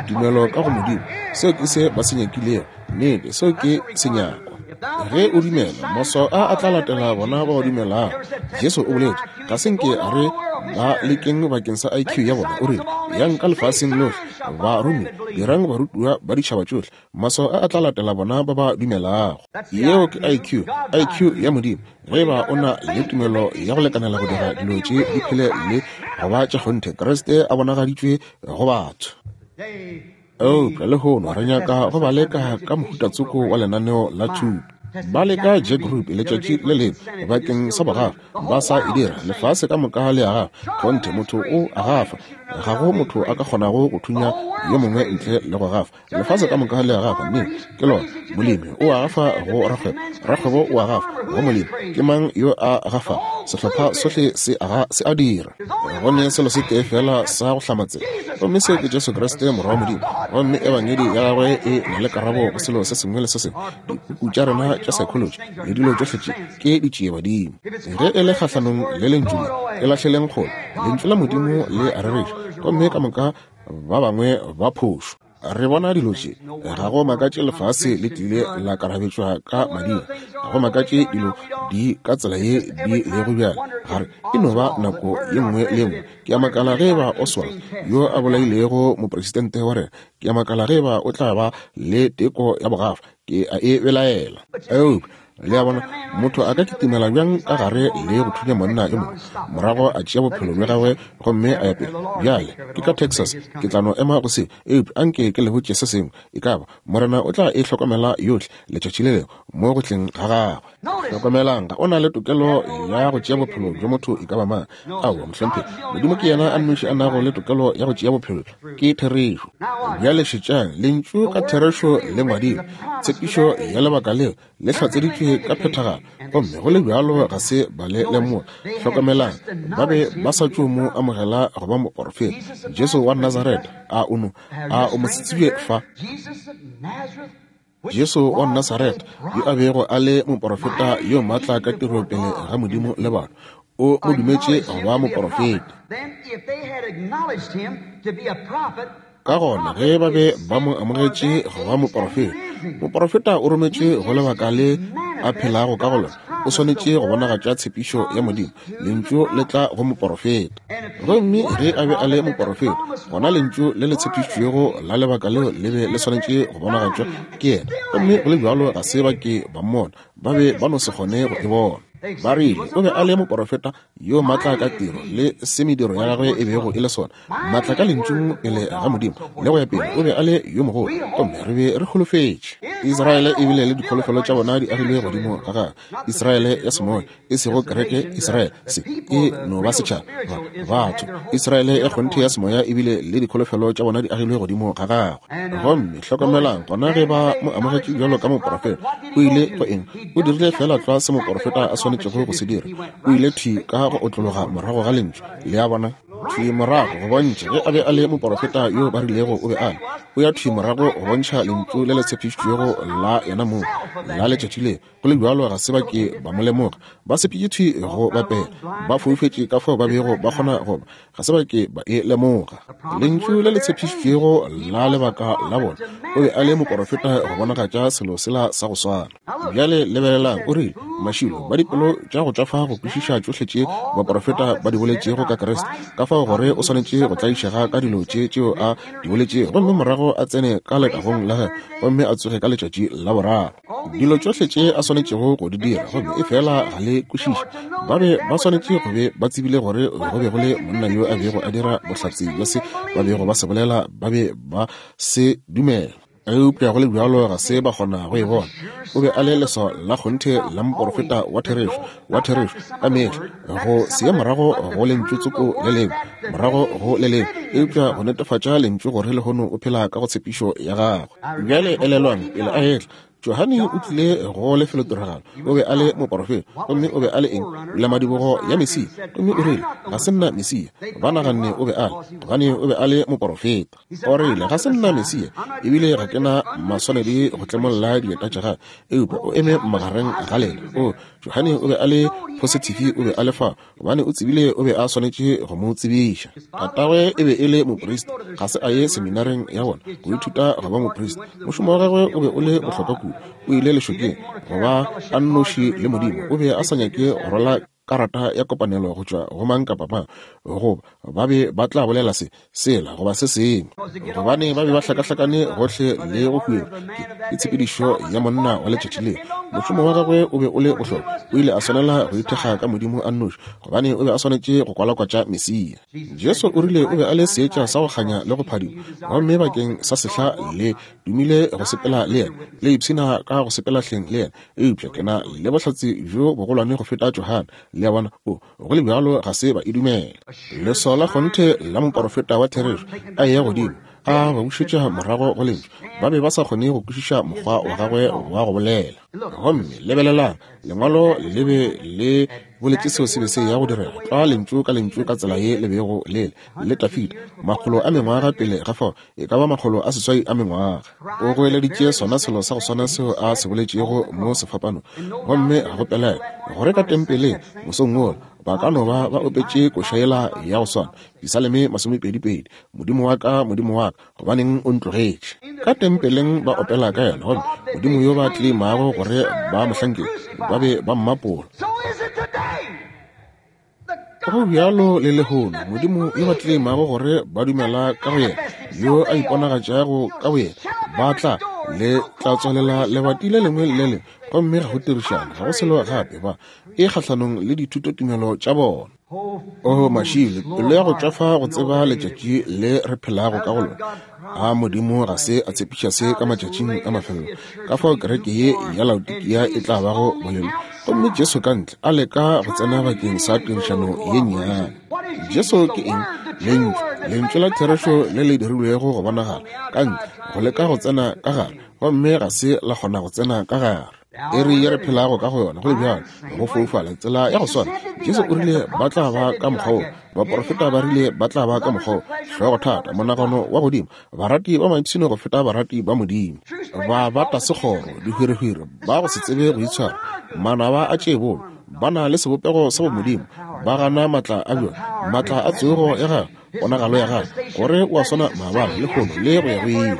Tumelo ka go Modimo, seo ke se ba se nyakilego. Nnete, seo ke senyakwa. Ge o dumela, maswao a a tla latela bona ba ba dumelago. Jesu o boletše, ga se nke a re ba lekeng bakeng sa IQ ya bona. O rile, Yang ka lefaseng lohle, baromi, dirang barutiwa ba ditšhaba tšohle. Maswao a a tla latela bona ba ba dumelago. Yeo ke IQ, IQ ya Modimo. Ge eba o na le tumelo ya go lekanela go dira dilo tše di phele le go ba tša kgonthe, Kriste a bonagaditšwe go batho. Eupša lehono re nyaka go ba leka ka mohutatsoko wa lenaneo la thuto. Ba leka Jack Ruby letšatši le lengwe bakeng sa bogafa, ba sa e dira. Lefase ka moka le a gafa. Kgonthe, motho o a gafa. Ga go motho a ka kgonago go thunya yo mongwe ntle le go gafa. Lefase ka moka le a gafa. Mme ke lona molemi o a gafa go rakgwebo, rakgwebo o a gafa go molemi. Ke mang yo a gafago? Sehlopha sohle se a, se a dira. Go ne selo se tee fela sa go hlama tsela, gomme seo ke Jesu Kriste, Morwa wa Modimo. Gomme Ebangedi ya gagwe e na le karabo go selo se sengwe le se sengwe. Dipuku tša rena tša psychology le dilo tšohle tše ke ditšiebadimo. Ge e le kgahlanong le Lentšu le, e lahleleng kgole. Lentšu la Modimo le a rereša, gomme ka moka ba bangwe ba phošo. Re bona dilo tše. Ga go makatše lefase le tlile la karabetšwa ka madira. Ga go makatše dilo di ka tsela ye di lego bjale. Gare e no ba nako ye nngwe le ye nngwe. Ke a makala ge eba Oswald, yo a bolailego mopresidente wa rena, ke a makala ge eba o tla ba le teko ya bogafa. Ke a e belaela. Eupša Le a bona, motho a ka kitimela bjang ka gare le go thunya monna yo mongwe, morago a tšea bophelo bja gagwe gomme a ya pele? Bjale, ke ka Texas, ke tla no ema go se, eupša anke ke le botše se sengwe, e ka ba, Morena o tla e hlokomela yohle letšatši le lengwe mo go tleng ga gagwe. Hlokomelang, ga o na le tokelo ya go tšea bophelo bja motho e ka ba mang. Aowa, mohlomphegi. Modimo ke yena a nnoši a nago le tokelo ya go tšea bophelo. Ke therešo. Bjale šetšang, Lentšu ka therešo le ngwadilwe, tshepišo ya lebaka leo le hlatseditšwe ka phethagalo, gomme go le bjalo ga se ba le lemoga. Hlokomelang, ba be ba sa tšo mo amogela go ba moporofeta, Jesu wa Nazareta. A o no, a o mo tsebje fa? Jesu wa Nazareta, yo a bego a le moporofeta yo matla ka tiro pele ga Modimo le batho, o mo dumetše go ba moporofeta. Ka gona ge ba be ba mo amogetše go ba moporofeta, moporofeta o rometšwe go lebaka le a phelago ka go lona, o swanetše go bonagatša tshepišo ya Modimo. Lentšu le tla go moporofeta. Gomme ge a be a le moporofeta, gona Lentšu le le tshepišitšwego la lebaka leo le be le swanetše go bonagatšwa ke yena. Gomme go le bjalo ga se ba ke ba mmona, ba be ba no se kgone go e bona. Ba rile o be a le moporofeta yo matla ka tiro le se mediro ya gagwe e bego e le sona, matla ka lentšung pele ga Modimo le go ya pele. O be a le yo mogolo, gomme re be re holofetše. Israele e bile le dikholofelo tša bona di agilwe godimo ga gagwe. Israele ya semoya, e sego kereke, Israele se e no ba setšhaba, batho. Israele ya kgonthe ya semoya e bile le dikholofelo tša bona di agilwe godimo ga gagwe. Gomme hlokomelang gona ge ba mo amogetše bjalo ka moporofeta, o ile go eng? O dirile feela tlwa se moporofeta a swanetšego go se dira. O ile thwi ka go otlologa morago ga Lentšu. Le a bona? Thwi morago go bontšha ge a be a le moporofeta yo ba rilego o be a le, o ya thwi morago go bontšha Lentšu le le tshepišitšwego la yena mong la letšatši le. Go le bjalo ga se ba ke ba mo lemoga. Ba sepetše thwi go bapela, ba foufetše ka fao ba bego ba kgona go ba. Ga se ba ke ba e lemoga. Lentšu le le tshepišitšwego la lebaka la bona, o be a le moporofeta go bonagatša selo sela sa go swana. Bjale lebelelang, o rile, Mašilo, ba dipelo tša go tšwafa go kwešiša tšohle tše baporofeta ba di boletšego ka Kriste, ka fao gore o swanetše go tlaišega ka dilo tše tšeo a di boletšego, gomme morago a tsene ka letagong la gagwe, gomme a tsoge ka letšatši la boraro. Dilo tšohle tše a swanetšego go di dira, gomme efela ga le kwešiše. Ba be ba swanetše go be ba tsebile gore go be go le monna yo a bego a dira bohlatse bja se ba bego ba se bolela, ba be ba se dumela. Eupša go le bjalo ga se ba kgona go e bona. O be a le leswao la kgonthe la moporofeta wa therešo, wa therešo ka mehla, go se ye morago go lentšu tsoko le lengwe, morago go le lengwe, eupša go netefatša lentšu gore lehono o phela ka go tshepišo ya gagwe. Bjale elelwang, pele a etla, Johane o tlile go lefelotiragalo. O be a le moporofeta, gomme o be a le eng? Pulamadibogo ya Mesia. Gomme o rile, Ga se nna Mesia. Ba naganne o be a le, gobane o be a le moporofeta. O rile, Ga se nna Mesia, ebile ga ke na maswanedi go tlemolla dieta tša gagwe, eupša o eme magareng ga lena. O, Johane o be a le phosithifi, o be a le fa, gobane o tsebile o be a swanetše go mo tsebiša. Tatagwe e be e le moprista, ga se a ye seminareng ya bona go ithuta go ba moprista. Mošomo wa gagwe o be o le bohlokwa kudu. O ile lešokeng go ba a nnoši le Modimo. O be a sa nyake go rwala karata ya kopanelo go tšwa go mang kapa mang, goba ba be ba tla bolela se, sela goba se sengwe, gobane ba be ba hlakahlakane gohle le go huetšwa ke tshepedišo ya monna wa letšatši leo. Mošomo wa gagwe o be o le bohlokwa. O ile a swanela go ithekga ka Modimo a nnoši, gobane o be a swanetše go kwalakwatša Mesia. Jesu o rile o be a le seetša sa go kganya le go phadima, gomme bakeng sa sehla le dumile go sepela le yena, le ipshina ka go sepela hleng le yena. Eupša ke na le bohlatse bjo bogolwane go feta Johane. Le a bona? O, go le bjalo ga se ba e dumela. Leswao la kgonthe la moporofeta wa therešo a eya godimo, a ba bušetša morago go Lentšu. Ba be ba sa kgone go kwešiša mokgwa wa gagwe wa go bolela. Gomme lebelelang, Lengwalo le be le boletše seo se be se ya go direga, tlwa lentšu ka lentšu ka tsela ye le bego le le le Dafida, makgolo a mengwaga pele ga fao, e ka ba 800 a mengwaga. O goeleditše sona selo sa go swana seo a se boletšego mo sefapanong. Gomme ga go pelaelo gore ka tempeleng mosong wola ba ka no ba ba opetše koša yela ya go swana, Pisaleme 22, Modimo wa ka, Modimo wa ka, gobaneng o ntlogetše? Ka tempeleng ba opela ka yena, gomme Modimo yo ba tleimago gore ba mo hlankele, ba be ba mmapola. Go bjalo le lehono, Modimo yo ba tleimago gore ba dumela ka go yena, yo a iponagatšago ka boyena, ba tla le tla tswalela lebati le lengwe le lengwe, gomme ga go tirišano, ga go selo gape, ba e kgahlanong le dithutotumelo tša bona. O mašilo, pelo ya go tšwafa go tseba letšatši le re phelago ka go lona. A Modimo ga se a tshepiša se ka matšatšing a mafelelo, ka fao kereke ye ya Laodikia e tla bago bolelo, gomme Jesu ka ntle a leka go tsena bakeng sa tirišano ye nnyane. Jesu ke eng? Lentšu, Lentšu la therešo le le dirilwego go bonagala, ka ntle, go leka go tsena ka gare, gomme ga se la kgona go tsena ka gare. Iri ye re phelago ka go yona, go le bjalo, go foufala, tsela ya go swana. Jesu o rile ba tla ba ka mokgwa wo. Baprofeta ba rile ba tla ba ka mokgwa wo. Hlogothata, monagano wa godimo, barati ba maipshino go feta barati ba Modimo, ba bata sekgoro, dihwirihwiri, ba go se tsebe go itshwara, manaba a tše bolo, ba na le sebopego sa bomodimo, ba gana maatla a bjona, maatla a tsogo ya gagwe, ponagalo ya gagwe, gore o a swana maabane, lehono, le go ya go ile.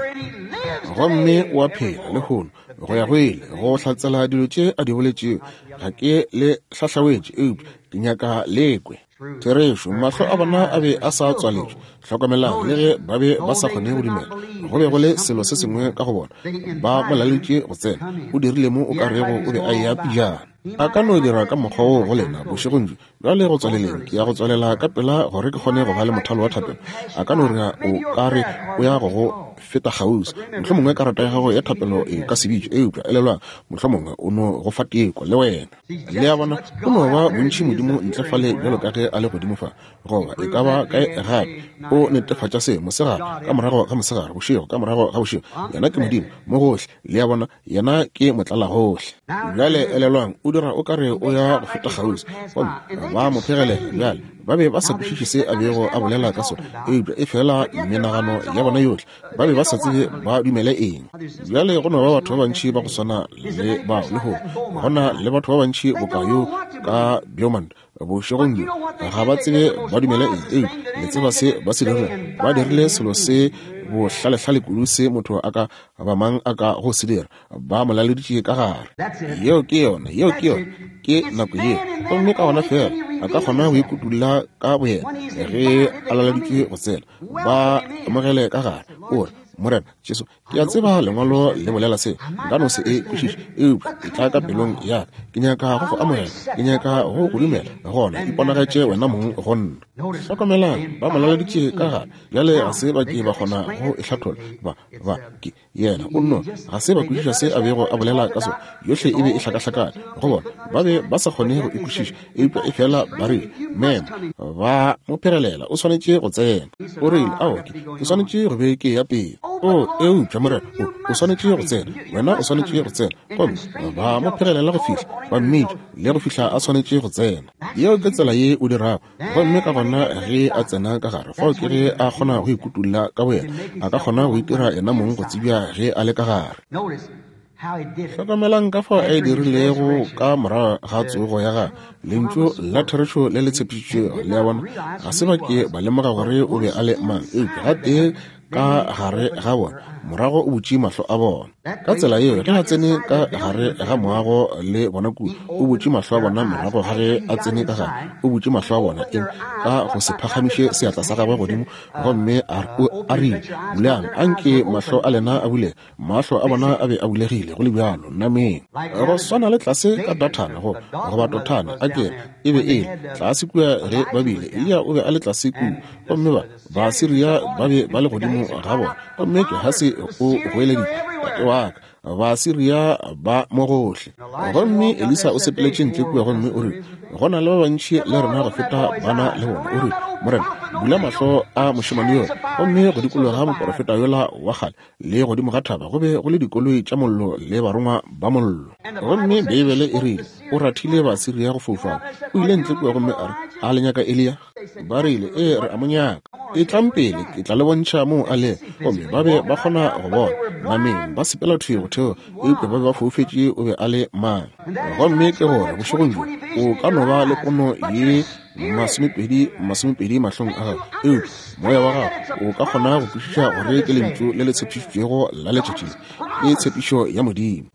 Gomme o a phela lehono, go ya go ile, go hlatsela dilo tše a di boletšego. Ga ke le hlahlawetše, eupša ke nyaka le kwe therešo. Mahlo a bona a be a sa tswaletšwe. Hlokomelang, le ge ba be ba sa kgone go dumela, go be go le selo se sengwe ka go bona. Ba mo laletše go tsena. O dirile mo o ka rego o be a eya pejana. A ka no dira ka mokgwa woo go lena bošegong bjo. Bjale go tswaleleng, ke ya go tswalela ka pela gore ke kgone go ba le mothalo wa thapelo. A ka no re o ka re o ya go go feta kgauswi. Mohlomongwe karata ya gago ya thapelo e ka se bitšwe, eupša elelwang, mohlomongwe o no go fa teko le wena. Le a bona, o no ba bontši Modimo ntle fale bjalo ka ge a le godimo fa, goba e ka ba kae gape. O netefatša se mosegare ka morago ga mosegare, bošego ka morago ga bošego. Yena ke Modimo mo gohle. Le a bona, Yena ke motlalagohle. Bjale elelwang, o dira o ka re o ya go feta kgauswi, gomme ba mo phegelela. Bjale Ba be ba sa kwešiše se a bego a bolela ka sona, eupša efela menagano ya bona yohle, ba be ba sa tsebe ba dumele eng. Bjale go no ba batho ba bantši ba go swana le bao lehono. Go na le batho ba bantši boka yo ka Beaumont bošegong bjo, ga ba tsebe ba dumele eng, eupša le tseba se ba se dirilego. Ba dirile selo se bohlalehlale kudu se motho a ka ba mang a ka go se dira, ba mo laleditše ka gare. Yeo ke yona, yeo ke yona, ke nako yeo. Gomme ka gona feela a ka kgona go ikutulla ka boyena ge a laleditšwe go tsena, ba amogele ka gare. O re, Morena Jesu, ke a tseba Lengwalo le bolela se, nka no se e kwešiše, eupša e tla ka pelong ya ka. Ke nyaka go go amogela, ke nyaka go go dumela, gona iponagatše wena mong go nna. Hlokomelang, ba mo laleditše ka gare. Bjale ga se ba ke ba kgona go e hlatholla. Ba, ba, ke, yena o nno, ga se ba kwešiša se a bego a bolela ka sona. Yohle e be e hlakahlakane go bona. Ba be ba sa kgone go e kwešiša, eupša efela ba rile, Mema, ba mo phegelela, o swanetše go tsena. O rile, Aowa, ke, ke swanetše go be ke eya pele. O, eupša, Morena, o, o swanetše go tsena. Wena o swanetše go tsena. Gomme ba mo phegelela go fihla ba mmitša, le go fihla a swanetše go tsena. Yeo ke tsela ye o dirago. Gomme ka gona ge a tsena ka gare, fao ke ge a kgona go ikutulla ka boyena, a ka kgona go itira yena mong go tsebja ge a le ka gare. Hlokamelang ka fao a e dirilego ka morago ga tsogo ya gagwe, Lentšu la therešo le le tshepišitšwego. Le a bona? Ga se ba ke ba lemoga gore o be a le mang, eupša gatee ka gare ga bona, morago o butše mahlo a bona. Ka tsela yeo, ge a tsene ka gare ga moago le bona kua, o butše mahlo a bona morago ga ge a tsene ka gare, o butše mahlo a bona, eng, ka go se phagamiše seatla sa gagwe godimo, gomme a, a rile, Bulang, anke mahlo a lena a bulege. Mahlo a bona a be a bulegile go le bjalo, nameng. Go swana le tlase ka Dathane, go, goba Dothane, a ke re, e be e le, tlase kua ge ba bile, Eliya o be a le tlase kua, gomme ba, Baasiria ba be ba le godimo ga bona. Gomme Gehasi o goeleditše, Tate wa ka, Baasiria ba mo gohle. Gomme Elisa o sepeletše ntle kua gomme o rile, Go na le ba bantši le rena go feta ba na le bona. O rile, Morena, bula mahlo a mošemane yola. Gomme go dikologa moporofeta yola wa kgale le godimo ga thaba go be go le dikoloi tša mollo le barongwa ba mollo. Gomme Beibele e rile, O rathile Baasiria go foufala. O ile ntle kua gomme a re, A le nyaka Eliya? Ba rile, Ee, re a mo nyaka. Etlang pele, ke tla le bontšha moo a lego. Gomme ba be ba kgona go bona, nameng, ba sepela thwi go theoga, eupša ba be ba foufetše o be a le mang. Gomme ke gore, bošegong bjo, o ka no ba le pono ye masomepedi, masomepedi mahlong a gago, eupša moya wa gago o ka kgona go kwešiša gore ke Lentšu le le tshepišitšwego la letšatši le. Ke tshepišo ya Modimo.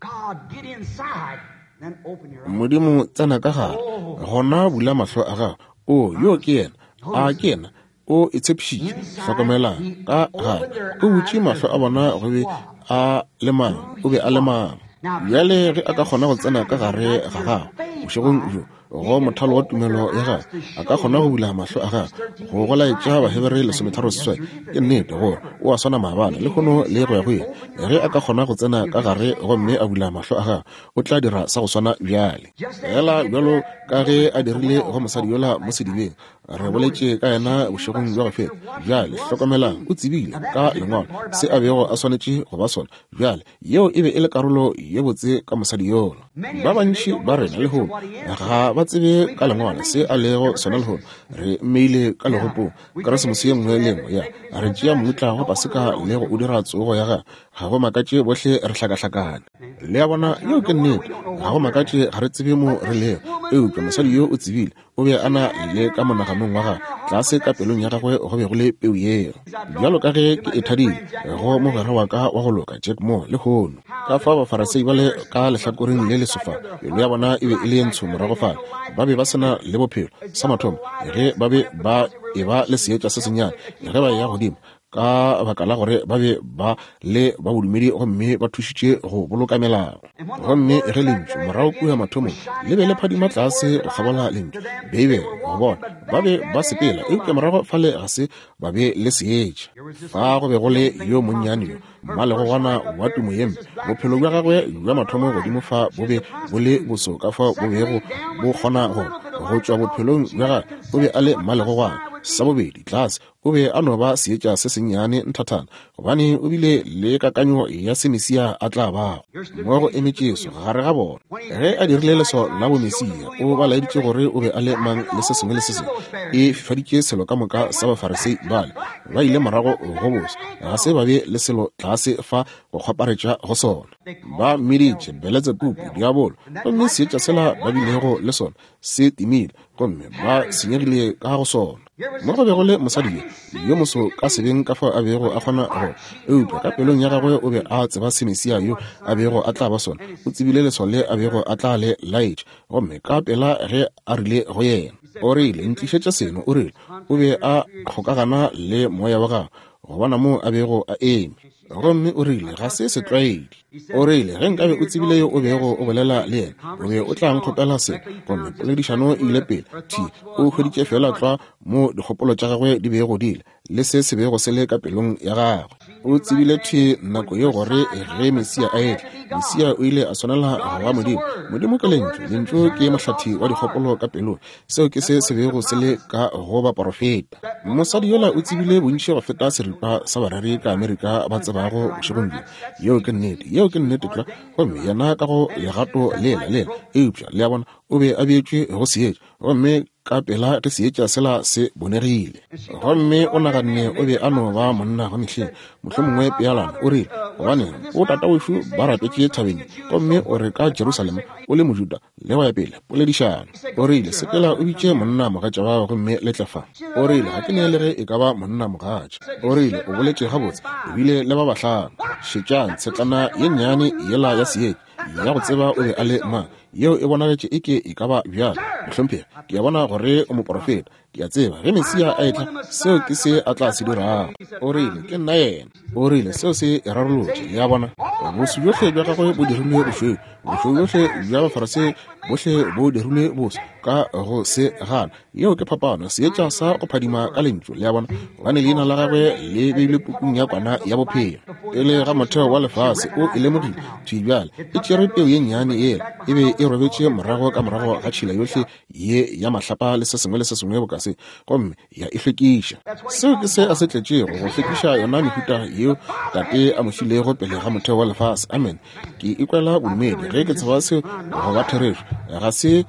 Modimo, tsena ka gare, gona bula mahlo a gago. O, yo ke Yena. A ke Yena? O e tshepišitše. Hlokomelang, ka gare, O butše mahlo a bona go be a le mang, o be a le mang. Bjale ge a ka kgona go tsena ka gare ga gago, bošegong bjo, go mothalo wa tumelo ya gagwe, a ka kgona go bula mahlo a gagwe, go go laetša Bahebere 13:8, ke nnete gore o a swana maabane, lehono, le go ya go ile. Ge a ka kgona go tsena ka gare gomme a bula mahlo a gagwe, o tla dira sa go swana bjale. Feela bjalo ka ge a dirile go mosadi yola mo sedibeng, re boletše ka yena bošegong bja go feta. Bjale hlokomelang, o tsebile ka Lengwalo se a bego a swanetše go ba sona. Bjale, yeo e be e le karolo ye botse ka mosadi yola. Ba bantši ba rena lehono ga ba tsebe ka Lengwalo se a lego sona lehono. Re mmeile ka legopong Keresemose ye nngwe le ye nngwe, ya re tšea mmutla wa Paseka le go o dira tsogo ya gagwe. Ga go makatše bohle re hlakahlakane. Le a bona, yeo ke nnete. Ga go makatše ga re tsebe mo re lego. Eupša mosadi yo o tsebile, o be a na le ka monaganong wa gagwe, tlase ka pelong ya gagwe go be go le peu yeo. Bjalo ka ge ke e thadile go mogwera wa ka wa go loka, Jack Moore, lehono. Ka fao Bafarasei ba le ka lehlakoreng le leso fa, pelo ya bona e be e le ye ntsho morago fale. Ba be ba se na le bophelo. Sa mathomo, ge ba be ba eba le seetša se sennyane, ge ba eya godimo, ka baka la gore ba be ba le ba bodumedi gomme ba thušitše go boloka melao. Gomme ge Lentšu morago kua mathomong le be le phadima tlase go kgabola Lentšu, Beibele, go bona, ba be ba sepela, eupša morago fale ga se ba be le seetša. Fa go be go le yo monnyane yo, mmalegogwana wa tumo ye mpe, bophelo bja gagwe bja mathomo godimo fa bo be bo le boso ka fao bo bego bo kgona go, go tšwa bophelong bja gagwe, o be a le mmalegogwana. Sa bobedi, tlase. O be a no ba seetša se sennyane nthathana, gobane o bile le kakanyo ya se Mesia a tla bago. Mo go eme Jesu gare ga bona. Ge a dirile leswao la bomesia, o ba laeditše gore o be a le mang le se sengwe le se sengwe. E fifaditše selo ka moka sa Bafarisei bale. Ba ile morago go boso. Ga se ba be le selo tlase fa go kgwaparetša go sona. Ba mmiditše Beletsebubu, diabolo, gomme seetša sela ba bilego le sona se timile, gomme ba senyegile ka go sona. Mo go bego le mosadi yo, yo moso ka sebeng ka fao a bego a kgona go, eupša ka pelong ya gagwe o be a tseba se Mesia yo a bego a tla ba sona. O tsebile leswao le a bego a tla le laetša, gomme ka pela ge a rile go yena, o rile, Ntlišetša seno, o rile, o be a kgokagana le moya wa gagwe go bona moo a bego a eme. Gomme o rile, Ga se setlwaedi. O rile, Ge nkabe o tsebile yo o bego o bolela le yena, o be o tla nkgopela se. Gomme poledišano e ile pele. Thi, o hweditše feela tlwa mo dikgopolo tša gagwe di bego di le, le se se bego se le ka pelong ya gagwe. O tsebile thwi nako yeo gore ge Mesia a etla, Mesia o ile a swanela go ba Modimo. Modimo ke Lentšu. Lentšu ke mohlathi wa dikgopolo ka pelong. Seo ke se se bego se le ka go baporofeta. Mosadi yola o tsebile bontši go feta seripa sa bareri ka Amerika ba tsebago bošegong bjo. Yeo ke nnete. Yeo ke nnete tlwa. Gomme yena ka go legato lela, lela. Eupša, le a bona, o be a beetšwe go seetša. Gomme ka pela ge seetša sela se bonegile, gomme o naganne o be a no ba monna wa mehleng, mohlomongwe pealano, o rile, Gobaneng, o tatawešu ba rapetše thabeng, gomme o re ka Jerusalema o le Mojuda, le go ya pele, poledišano. O rile, Sepela o bitše monna mogatša wa gago gomme le tle fa. O rile, Ga ke ne le ge e ka ba monna mogatša. O rile, O boletše gabotse, o bile le ba bahlano. Šetšang tshetlana ye nnyane yela ya seetša, ya go tseba o be a le mang, yeo e bonagetše eke e ka ba bjalo. Mohlomphegi, ke a bona gore o moporofeta. Ke a tseba ge Mesia a etla, seo ke se a tla se dirago. O rile, Ke nna yena. O rile, Seo se e rarolotše. Le a bona? Boso bjohle bja gagwe bo dirilwe bošweu. Bošweu bjohle bja Bafarisei bohle bo dirilwe boso ka go se gana. Yeo ke phapano, seetša sa go phadima ka Lentšu, le a bona, gobane leina la gagwe le beilwe pukung ya Kwana ya Bophelo. Pele ga motheo wa lefase, o e lemogile thwi bjale. E tšere peu ye nnyane yela, e be e robetše morago ka morago ga tšhila yohle ye ya mahlapa le se sengwe le se sengwe boka se, gomme ya e hlwekiša. Seo ke se a se tletšego, go hlwekiša yona mehuta yeo Tate a mo filego pele ga motheo wa lefase. Amen. Ke ikwela bodumedi ge ke tseba seo go ba therešo. Ga se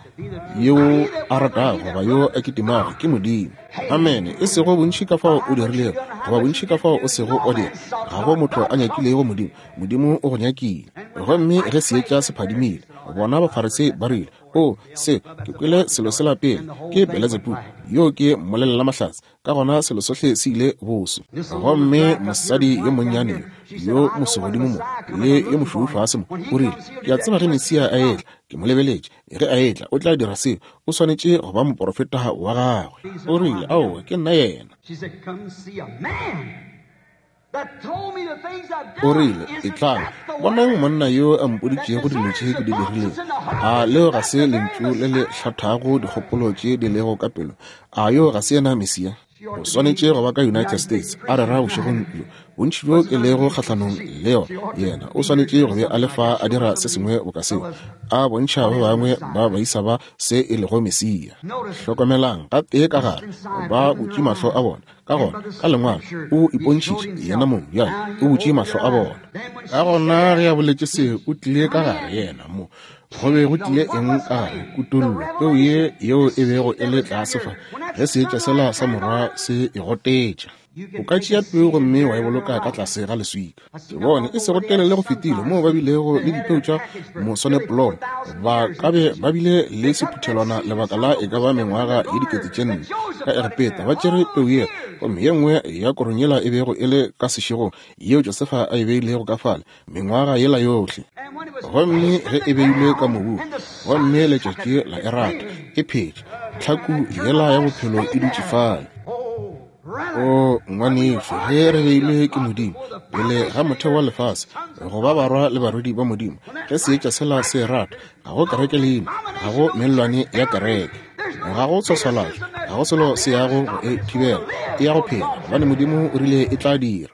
yo a ratago goba yo a kitimago, ke Modimo. Amene. E sego bontši ka fao o dirilego, goba bontši ka fao o sego wa dira. Ga go motho a nyakilego Modimo. Modimo o go nyakile. Gomme ge seetša se phadimile, bona Bafarisei ba rile, O, se, ke kwele selo sela pele, ke Beletsebubu, yoo ke mmolelela mahlatse. Ka gona selo sohle se ile boso. Gomme mosadi yo monnyane yo, yo moso godimo mo, le yo mošweu fase mo, o rile, Ke a tseba ge Mesia a etla, ke mo lebeletše, ge a etla, o tla dira seo, o swanetše go ba moporofeta wa gagwe. O rile, Aowa, ke nna yena. O rile, Etlang, bonang monna yo a mpoditšego dilo tše ke di dirilego. A leo ga se lentšu le le hlathago dikgopolo tše di lego ka pelo? A yo ga se yena Mesia? O swanetše go ba ka United States, a rera bošegong bjo. Bontši bjo ke lego kgahlanong le yona, yena o swanetše go be a le fa a dira se sengwe boka seo, a bontšha ba bangwe ba baisa ba se e lego Mesia. Hlokomelang, gatee ka gare, ba butše mahlo a bona. Ka gona, ka Lengwalo, o ipontšhitše yena mong bjale, o butše mahlo a bona. Ka gona ge a boletše se, o tlile ka gare yena mo. Go be go tlile eng ka gare? Kutollo, peu ye yeo e bego e le tlase fa, ge seetša sela sa morwa se e gotetša. O ka tšea peu gomme wa e boloka ka tlase ga leswika. Ke bone e sego telele go fetile moo ba bilego le dipeu tša moswanepolone, ba ka be ba bile le sephuthelwana lebaka la e ka ba mengwaga ye 4000 ka Egepeta. Ba tšere peu yela, gomme ye nngwe ya korong yela e bego e le ka sešegong, yeo Josefa a e beilego ka fale mengwaga yela yohle. Gomme ge e beilwe ka mobung, gomme letšatši la e rata, e phetše, tlhaku yela ya bophelo e dutše fale. O ngwanešu, ge re beilwe ke Modimo pele ga motheo wa lefase go ba barwa le barwedi ba Modimo, ge seetša sela se rata, ga go kereke leina, ga go mellwane ya kereke, ga go tshwaswalatšo, ga go selo se yago go e thibela, e ya go phela, gobane Modimo o rile e tla dira.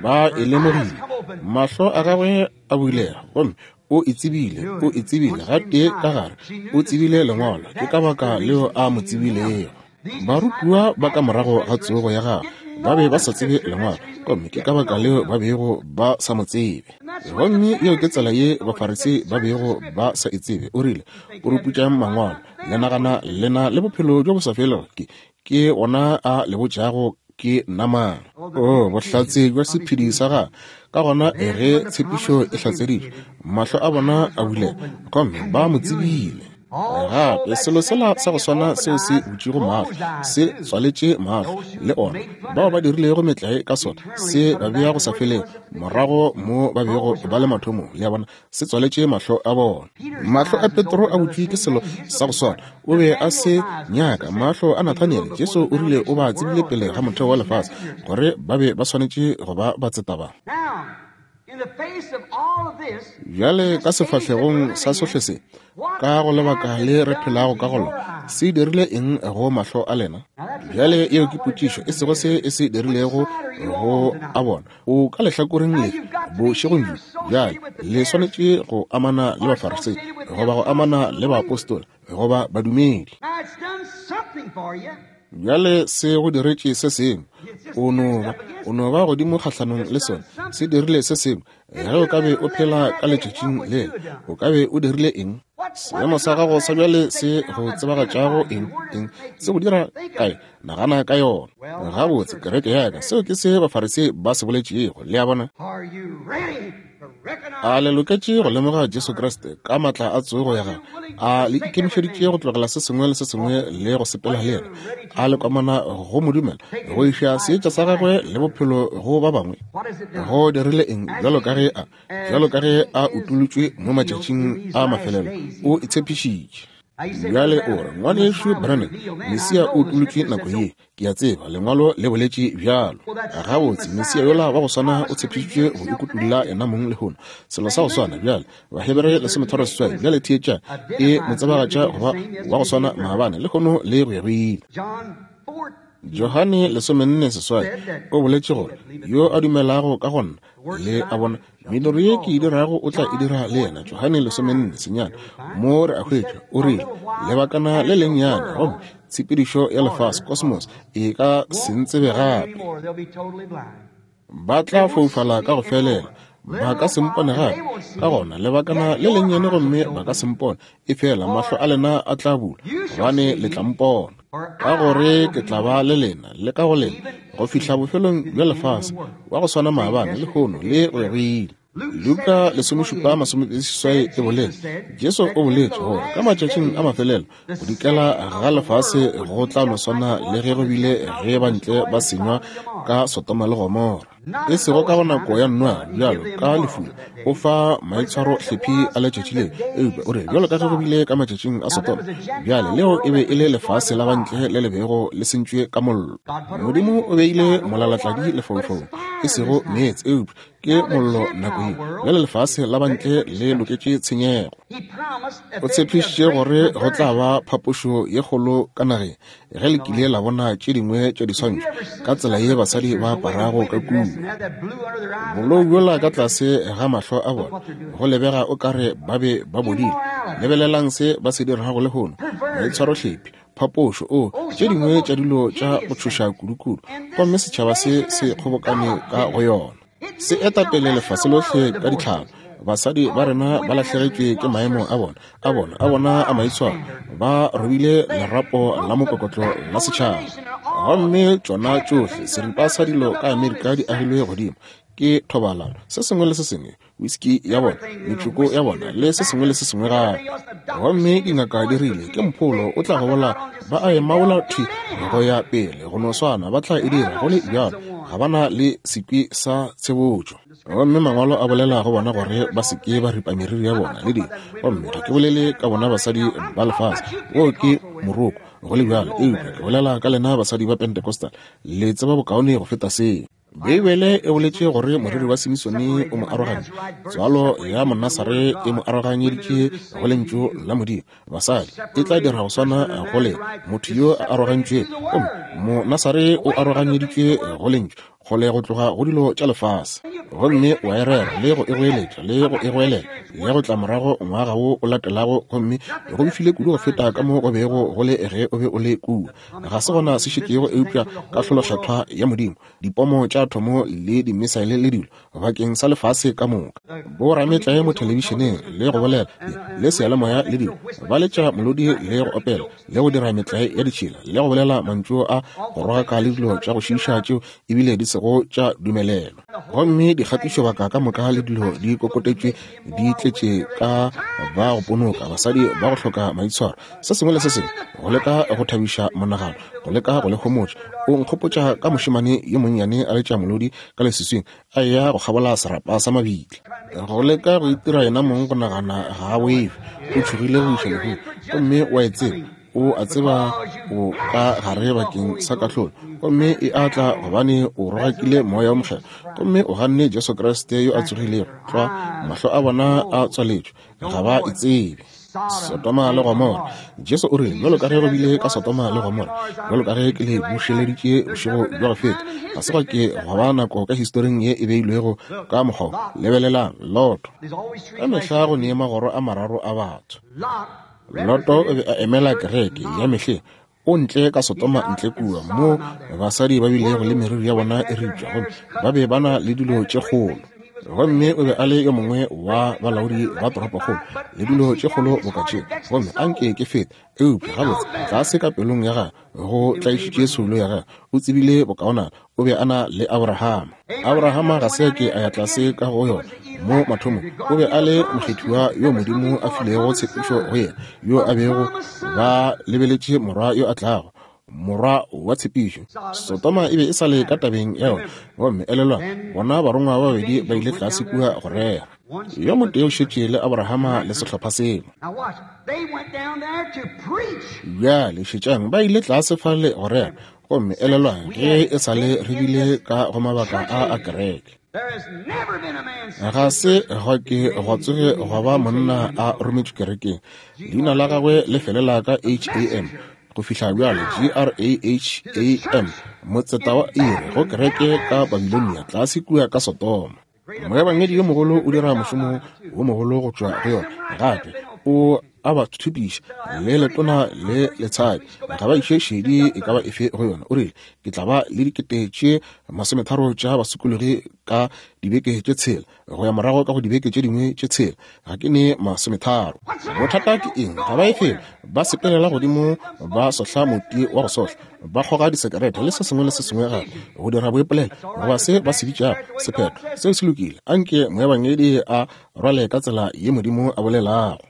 Ba e lemogile, mahlo a gagwe a bulega, gomme o e tsebile, o e tsebile gatee ka gare, o tsebile Lengwalo, ke ka baka leo a mo tsebilego. Barutiwa ba ka morago ga tsogo ya gagwe ba be ba sa tsebe Lengwalo, gomme ke ka baka leo ba bego ba sa mo tsebe. Gomme yeo ke tsela ye Bafarisei ba bego ba sa e tsebe. O rile, Puruputšang Mangwalo, le nagana le na le bophelo bjo bo sa felego. Ke, ke ona a le botšago ke nna mang. Oo, bohlatse bja sephedi sa gagwe. Ka gona ge tshepišo e hlatseditšwe, mahlo a bona a bulega, gomme ba mo tsebile. Gape selo sela sa go swana seo se butšego mahlo, se tswaletše mahlo le ona bao ba dirilego metlae ka sona, se ba bea go sa felego morago mo ba bego ba le mathomong. Le a bona, se tswaletše mahlo a bona. Mahlo a Petro a butšwe ke selo sa go swana. O be a se nyaka. Mahlo a Nathaniele, Jesu o rile o ba tsebile pele ga motheo wa lefase, gore ba be ba swanetše go ba batseta ba. Bjale ka sefahlegong sa sohle se, ka go lebaka le re phelago ka go lona, se dirile eng go mahlo a lena? Bjale yeo ke potšišo, e sego se e se dirilego go a bona. O ka lehlakoreng lefe bošegong bjo? Bjale le swanetše go amana le Bafarisei, goba go amana le baapostola, goba badumedi. Bjale se go diretše se sengwe. O no ba, o no ba godimo kgahlanong le sona. Se dirile se sengwe. Ge o ka be o phela ka letšatšing lela, o ka be o dirile eng? Seemo sa gago sa bjale se go tsebagatšago eng, eng, se go dira kae? Nagana ka yona. Gabotse, kereke ya ka, seo ke se Bafarisei ba se boletšego. Le a bona? A le loketše go lemoga Jesu Kriste ka matla a tsogo ya gagwe? A le ikemišeditše go tlogela se sengwe le se sengwe le go sepela le yena? A le kwamana go mo dumela, go iša seetša sa gagwe le bophelo go ba bangwe? Go dirile eng? Bjalo ka ge a, bjalo ka ge a utolotšwe mo matšatšing a mafelelo, o itshepišitše. Bjale o re, Ngwanešu Branham, Mesia o utolotšwe nako ye. Ke a tseba Lengwalo le boletše bjalo. Gabotse, Mesia yola wa go swana o tshepišitšwe go ikutulla yena mong lehono. Selo sa go swana bjale, Bahebere lesometharo seswai, bjale theetša, e mo tsebagatša go ba wa go swana maabane, lehono le go ya go ile. Johane lesomenne seswai o boletše gore, Yo a dumelago ka go nna, le a bona, mediro ye ke e dirago o tla e dira le yena. Johane lesomenne senyane, mo re a hwetša, o rile, lebakana le lennyane, gomme tshepedišo ya lefase, kosmos, e ka se ntsebe gape. Ba tla foufala ka go felela, ba ka se mpone gape. Ka gona lebakana le lennyane gomme ba ka se mpone, efela mahlo a lena a tla bulwa, gobane le tla mpona. Ka gore ke tla ba le lena le ka go lena go fihla bofelong bja lefase, wa go swana maabane, lehono le go ya go ile. Luka lesomešupa masomeseswai e boletše, Jesu o boletše gore ka matšatšing a mafelelo go dikela ga lefase go tla no swana le ge go bile ge bantle ba senywa ka Sodoma le Gomora. E sego ka go nako ya Noa bjalo ka lefula o fa maitshwaro hlephi a letšatši leo, eupša o re bjalo ka ge go bile ka matšatšing a Sodoma. Bjale leo e be e le lefase la bantle le le bego le sentšwe ka mollo. Modimo o beile molalatladi lefaufaung, e sego meetse, eupša ke mollo nako ye. Bjale lefase la bantle le loketše tshenyego. O tshepišitše gore go tla ba phapošo ye kgolo ka nageng. Ge le kile la bona tše dingwe tša diswantšho ka tsela ye basadi ba aparago ka kua, bolou bjola ka tlase ga mahlo a bona, go lebega o ka re ba be ba bodile. Lebelelang se ba se dirago lehono, maitshwarohlephi, phapošo, o tše dingwe tša dilo tša go tšhoša kudukudu, gomme setšhaba se se kgobokane ka go yona. Se eta pele lefase lohle ka ditlhalo. Basadi ba rena ba lahlegetšwe ke maemo a bona, a bona, a bona a maitshwaro. Ba robile lerapo la mokokotlo la setšhaba. Gomme tšona tšohle seripa sa dilo ka Amerika di agilwe godimo ke thobalano, se sengwe le se sengwe, whisky ya bona, metsoko ya bona, le se sengwe le se sengwe gape. Gomme dingaka di rile, Ke mpholo, o tla gobola. Ba a e maola thwi go ya pele, go no swana, ba tla e dira go le bjalo. Ga ba na le sekwi sa tshebotšo. Gomme Mangwalo a bolela go bona gore ba se ke ba ripa meriri ya bona le dilo. Gomme ga ke bolele ka bona basadi ba lefase, woo ke moroko, go le bjalo, eupša ke bolela ka lena basadi ba Pentecostal. Le tseba bokaone go feta seo. Beibele e boletše gore moriri wa Simisone o mo arogantše. Tswalo ya Monasare e mo aroganyeditše go Lentšu la Modimo. Basadi, e tla dira go swana go lena, motho yo a arogantšwego. Gomme Monasare o aroganyeditšwe go Lentšu. kgole go tloga go dilo tša lefase. Gomme wa e rera, le go e goeletša, le go e goelela, le go tla morago ngwaga wo o latelago, gomme go befile kudu go feta ka mo go bego go le ge o be o le kua. Ga se gona se šetšego eupša kahlolokgethwa ya Modimo, dipomo tša athomo le dimisaele le dilo, bakeng sa lefase ka moka. Borametlae mo thelebišeneng le go bolela le seyalemoya le dilo, ba letša molodi le go opela le go dira metlae ya ditšhila le go bolela mantšu a go rogaka le dilo tša go šiiša tšeo ebile di sego tša dumelelwa. Gomme dikgatišobaka ka moka le dilo di kokotetšwe di tletše ka ba go ponoka, basadi ba go hloka maitshwaro, se sengwe le se sengwe, go leka go thabiša monagano, go leka go le homotša. O nkgopotša ka mošemane yo monnyane a letša molodi ka leswiswing, a eya go kgabola serapa sa mabitla, go leka go itira yena mong go nagana ga a boife, o tšhogile go iša lehung. Gomme o a e tseba, o a tseba o ka gare bakeng sa kahlolo, gomme e a tla gobane o rogakile Moya wo Mokgethwa gomme o ganne Jesu Kriste yo a tsogilego. Tlwa, mahlo a bona a tswaletšwe, ga ba e tsebe. Sodoma le Gomora. Jesu o rile, bjalo ka ge go bile ka Sodoma le Gomora, bjalo ka ge ke le bušeleditše bošego bja go feta, ga se gwa ke gwa ba nako ka historing ye e beilwego ka mokgwa wo. Lebelelang, Loto. Ka mehla go ne magoro a mararo a batho. Loto o be a emela kereke ya mehleng, o ntle ka Sodoma ntle kua, moo basadi ba bilego le meriri ya bona e ripša, gomme ba be ba na le dilo tše kgolo. Gomme o be a le yo mongwe wa balaodi ba toropokgolo, le dilo tše kgolo boka tše. Gomme a nke ke fete, eupša gabotse, tlase ka pelong ya gagwe go tlaišitše soulo ya gagwe. O tsebile bokaonana. O be a na le Abrahama. Abrahama ga se a ke a ya tlase ka go yona mo mathomong. O be a le mokgethiwa yo Modimo a filego tshepišo go yena, yo a bego ba lebeletše morwa yo a tlago, morwa wa tshepišo. Sodoma e be e sa le ka tabeng ya yona. Gomme elelwang, bona barongwa ba babedi ba ile tlase kua go rera. Yo motee o šetše le Abrahama le sehlopha sela. Bjale šetšang, ba ile tlase fale go rera. Gomme elelwang, ge e sa le re bile ka go mabaka a a kereke, ga se gwa ke gwa tsoge gwa ba monna a rometšwe kerekeng, leina la gagwe le felela ka H-A-M, go fihla bjale, G-R-A-H-A-M, motseta wa iri go kereke ka Babilonia, tlase kua ka Sodoma. Moebangedi yo mogolo o dira mošomo wo mogolo go tšwa go yona, gape o a ba thupiša le letona le letshadi, ga ba iše šedi e ka ba efe go yona. O rile, Ke tla ba le dikete tše masometharo tša basokologi ka dibeke tše tshela, go ya morago ka go dibeke tše dingwe tše tshela, ga ke ne masometharo. Bothata ke eng? Ga ba ye felo, ba sepelela godimo ba sohla moti wa go sohla, ba kgoga disekerete le se sengwe le se sengwe gape, go dira boipolelo goba se ba se bitšago sephetho. Seo se lokile. Anke moebangedi a rwale ka tsela ye Modimo a bolelago.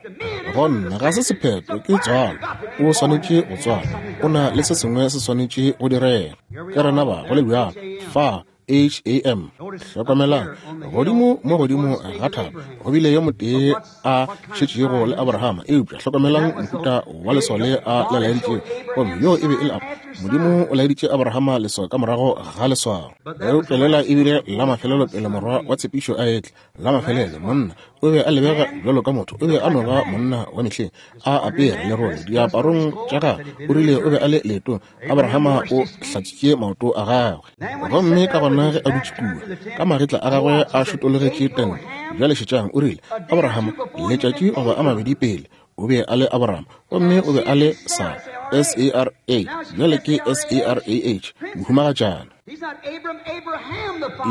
Gonna ga se sephetho, ke tswalo. O swanetše go tswala. O na le se sengwe se swanetše go direga. Ke rena ba, go le bjalo. Fa, H-A-M. Hlokomelang, godimo mo godimo ga thaba go bile yo motee a šetšego le Abrahama, eupša hlokomelang mohuta wa leswao le a le laeditšego, gomme yo e be e le Modimo o laeditše Abrahama leswao ka morago ga leswao. Eupša lela e bile la mafelelo pele morwa wa tshepišo a etla. La mafelelo, monna o be a lebega bjalo ka motho, o be a no ba monna wa mehleng, a apere lerole diaparong tša gagwe, o rile o be a le leetong. Abrahama o hlatswitše maoto a gagwe. Gomme ka gona ge a dutše kua, ka magetla a gagwe a šotologetše tente, bjale šetšang, o rile, Abrahama, letšatši goba a mabedi pele, o be a le Abraham, gomme o be a le Sara, S-A-R-A, bjale ke S-A-R-A-H, mohumagatšana.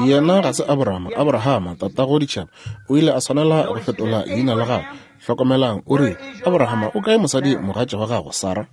Yena ga se Abraham, Abrahama, tatago ditšhaba, o ile a swanela go fetola leina la gagwe. Hlokomelang, o rile, Abrahama, o kae mosadi mogatša wa gago, Sara?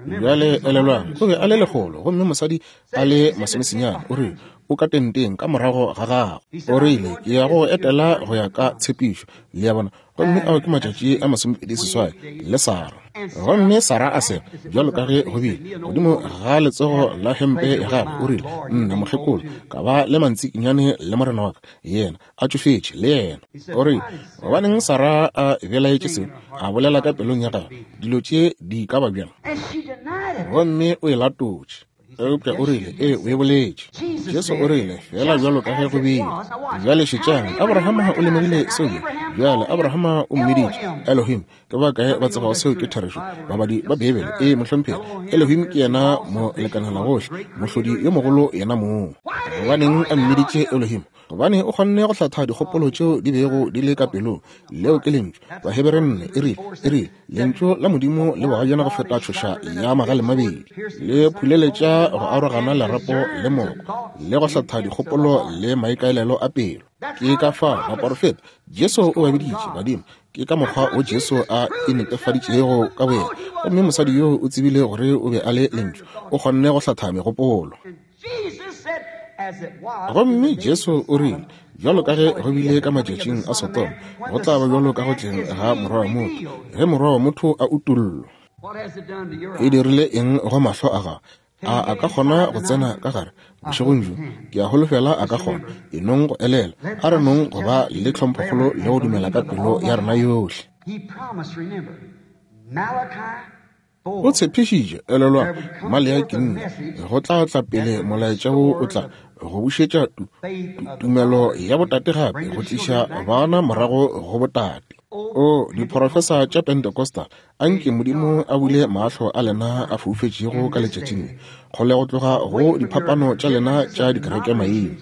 Bjale elelwang, o be a le lekgolo, gomme mosadi a le masomesenyane. O rile, O ka tenteng ka morago ga gago. O rile, Ke ya go etela go ya ka tshepišo. Le a bona? Gomme ao ke matšatši a masomepedi seswai le Sara. Gomme Sara a sega, bjalo ka ge go bile, godimo ga letsogo la hempe ya gagwe. O rile, Nna, mokgekolo, ka ba le mantsikinyane le morena wa ka, yena a tšofetše le yena. O rile, Gobaneng Sara a belaetše seo? A bolela ka pelong ya gagwe, dilo tše di ka ba bjang? Gomme o e latotše. Eupša o rile, Ee, o e boletše. Jesu o rile, Feela bjalo ka ge go bile. Bjale šetšang, Abrahama o lemogile seo bjang? Bjale, Abrahama o mmiditše Elohim. Ke ba kae ba tsebago seo ke therešo? Babadi ba Beibele. Ee, mohlomphegi. Elohim ke yena molekanelagohle, mohlodi yo mogolo yena mong. Gobaneng a mmiditše Elohim? Gobane o kgonne go hlatha dikgopolo tšeo di bego di le ka pelong. Leo ke Lentšu. Bahebere nne e rile, e rile, Lentšu la Modimo le bogajana go feta tšhoša ya magalemabedi, le phuleletša go arogana lerapo le moko, le go hlatha dikgopolo le maikaelelo a pelo. Ke ka fao baporofeta, Jesu o ba biditše badimo. Ke ka mokgwa wo Jesu a inetefaditšego ka boyena. Gomme mosadi yoo o tsebile gore o be a le Lentšu. O kgonne go hlatha megopolo. Gomme Jesu o rile, Bjalo ka ge go bile ka matšatšing a Sodoma, go tla ba bjalo ka go tleng ga Morwa wa motho, ge Morwa wa motho a utollwa. E dirile eng go mahlo a gago? A a ka kgona go tsena ka gare bošegong bjo? Ke a holofela a ka kgona. E nong go elela. A re nong go ba le tlhomphokgolo le go dumela ka pelo ya rena yohle. O tshepišitše, elelwang, Maleaki nne, go tla tla pele molaetša wo o tla go bušetša tu, tu, tumelo ya botate gape, go tliša bana morago go botate. O, diprofesa tša Pentecostal, a nke Modimo a bule mahlo a lena a foufetšego ka letšatšing le, kgole go tloga go diphapano tša lena tša dikerekemaina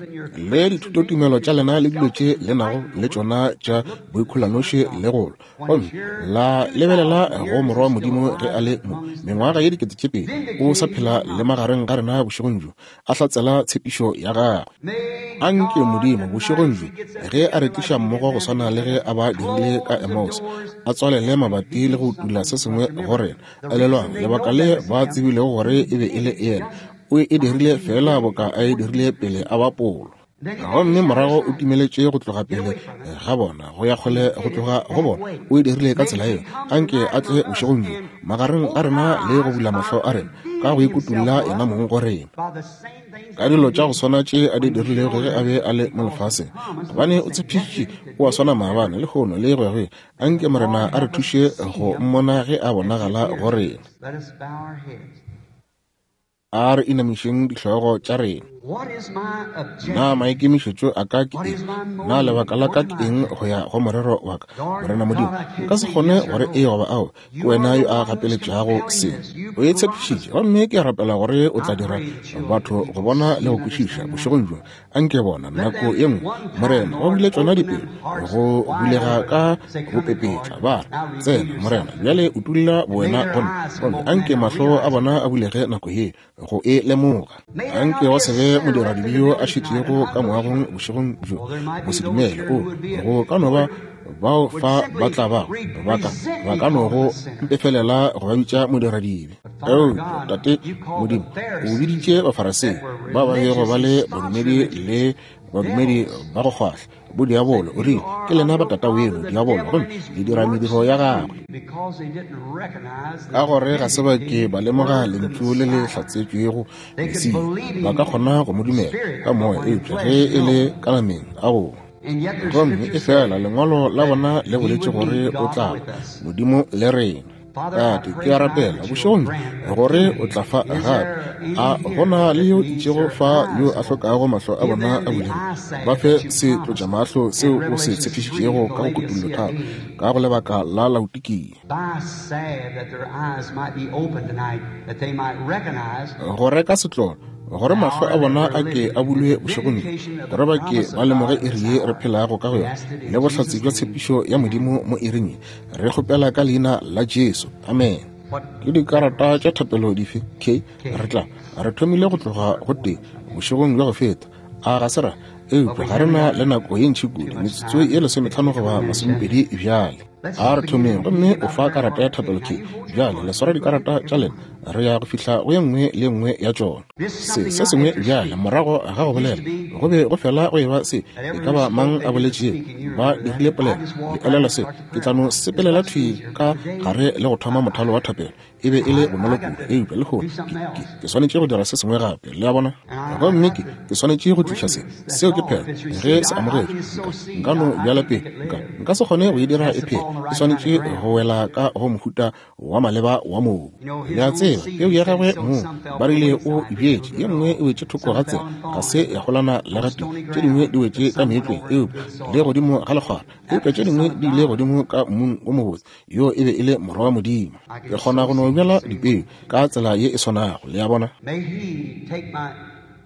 le dithutotumelo tša lena le dilo tše le nago le tšona tša boikholanoši le go lwa. Gomme la lebelela go Morwa wa Modimo ge a le mo, mengwaga ye 2000, o sa phela le magareng ga rena bošegong bjo, a hlatsela tshepišo ya gagwe. A nke Modimo, bošegong bjo, ge a re tliša mmogo go swana le ge a ba dirile ka Emmaus, a tswalele mabati le go utula se sengwe go rena. Elelwang, lebaka le ba tsebilego gore e be e le yena, o e dirile feela boka a e dirile pele a bapolwa. Gomme morago o timeletše go tloga pele ga bona, go ya kgole go tloga go bona. O e dirile ka tsela yeo. Anke a tle bošegong bjo magareng ga rena le go bula mahlo a rena, ka go ikutolla yena mong go rena, ka dilo tša go swana tše a di dirilego ge a be a le mo lefaseng. Gobane o tshepišitše o a swana maabane, lehono, le go ya go ile. Anke Morena a re thuše go mmona ge a bonagala go rena. A re inamišeng dihlogo tša rena. Na maikemišetšo a ka ke eng? Na lebaka la ka ke eng go ya go morero wa ka? Morena Modimo, nka se kgone gore ee goba ao. Ke wena yo a gapeletšago se. O e tshepišitše, gomme ke a rapela gore o tla dira batho go bona le go kwešiša bošegong bjo. Anke bona nako ye nngwe, Morena, ba bule tšona dipelo go bulega ka bopepetla, ba re, Tsena, Morena, bjale utulla bowena go nna. Gomme anke mahlo a bona a bulege nako ye, go e lemoga. Anke go se be modiradibe yo a šetšego ka moagong bošegong bjo, mosedumele. O, go ka no ba bao fa ba tla bago, ba ka, ba ka no go mpefelela go ba bitša modiradibe. Eupša, Tate Modimo, o biditše Bafarasei ba ba bego ba le badumedi le badumedi ba go kgwahla, bodiabolo. O rile, Ke lena ba tata weno, diabolo, gomme le dira mediro ya gagwe. Ka gore ga se ba ke ba lemoga Lentšu le le hlatsetšwego, Mesia. Ba ka kgona go mo dumela ka moya, eupša ge e le ka nameng, aowa. Gomme efela Lengwalo la bona le boletše gore o tla ba Modimo le rena. Tate, ke a rapela bošegong bjo gore o tla fa gape. A go na le yo itšego fa yo a hlokago mahlo a bona a bulegile? Ba fe setlotšamahlo seo o se tshepišitšego ka go Kutullo tharo, ka go lebaka la Laodikia. Go reka setlolo, gore mahlo a bona a ke a bulwe bošegong bjo, gore ba ke ba lemoge iri ye re phelago ka go yona, le bohlatse bja tshepišo ya Modimo mo iring ye. Re kgopela ka Leina la Jesu. Amen. Ke dikarata tša thapelo dife? K. Re tla. Re thomile go tloga go tee bošegong bja go feta. A ga se ra? Eupša ga re na le nako ye ntši kudu, metsotso ye lesometlhano goba masomepedi bjale. A re thomeng. Gomme o fa karata ya thapelo K. Bjale le swara dikarata tša lena. Re ya go fihla go ye nngwe le ye nngwe ya tšona. Se, se sengwe bjale, morago ga go bolela, go be go fela go eba se e ka ba mang a boletšego. Ba dirile polelo. Le elelwa se? Ke tla no sepelela thwi ka gare le go thoma mothalo wa thapelo. E be e le bonolo kudu. Eupša lehono ke, ke, ke swanetše go dira se sengwe gape. Le a bona? Gomme ke, ke swanetše go tliša se. Seo ke. ke phetho. Ge se amogetšwe, nka, nka no bjala peu. Nka, nka se kgone go e dira e phele. E swanetše go wela ka go mohuta wa maleba wa mobu. Le a tseba, peu ya gagwe mong, ba rile o e bjetše, ye nngwe e wetše thoko ga tsela, ga se ya golana le gatee, tše dingwe di wetše ka meetlweng, eupša le godimo ga lekgwara, eupša tše dingwe di ile godimo ka mmung o mobotse. Yo e be e le Morwa wa Modimo. Ke kgona go no bjala dipeu ka tsela ye e swanago, le a bona.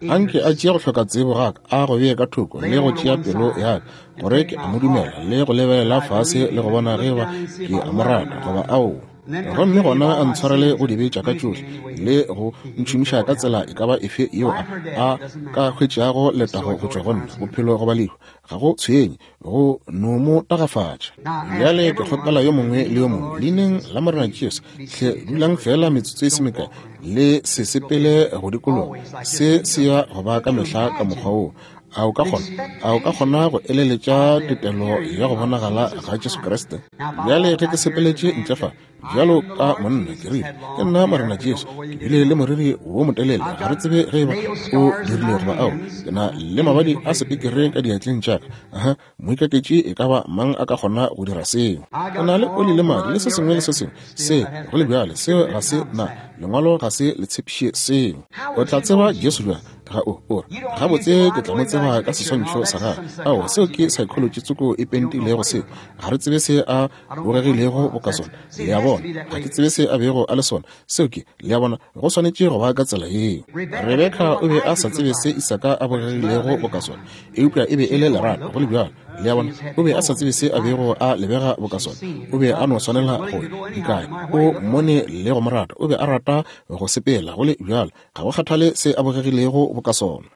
Anke a tšee go hloka tsebo ga ka, a go bee ka thoko, le go tšea pelo ya ka, gore ke a mo dumela, le go lebelela fase le go bona ge eba ke a mo rata goba aowa. Gomme gona a ntshwarele go dibe tša ka tšohle, le go ntšhomiša ka tsela e ka ba efe yeo a, a ka hwetšago letago go tšwa go nna, bophelo goba lehu, ga go tshwenye, go no mo tagafatša. Bjale ke kgopela yo mongwe le yo mongwe, Leineng la Morena Jesu, hle dulang feela metsotso e se mekae, le se sepele go dikologa. Se se ya go ba ka mehla ka mokgwa woo. A o ka kgona, a o ka kgona go eleletša tetelo ya go bonagala ga Jesu Kriste? Bjale ge ke sepeletše ntle fa, bjalo ka monna, ke rile, Ke nna Morena Jesu. Ke bile le moriri wo motelele, ga re tsebe ge eba o dirile goba ao. Ke na le mabadi a sepekere ka diatleng tša ka. Aha, moikaketši e ka ba mang a ka kgona go dira seo? Ke na le oli le madi le se sengwe le se sengwe. Se, go le bjale, seo ga se na, Lengwalo ga se le tshepiše seo. O tla tseba Jesu bjang? Ga o, o re, Gabotse, ke tla mo tseba ka seswantšho sa gagwe. Ao, seo ke psychology tsoko e pentilego seo. Ga re tsebe se a bogegilego boka sona. Le a bona? Ga ke tsebe se a bego a le sona. Seo ke, le a bona, go swanetše go ba ka tsela yeo. Rebeka o be a sa tsebe se Isaka a bogegilego boka sona, eupša e be e le lerato, go le bjalo. Le a bona? O be a sa tsebe se a bego a lebega boka sona. O be a no swanela go dikanya. O mmone le go mo rata. O be a rata go sepela, go le bjalo. Ga go kgathale se a bogegilego boka sona.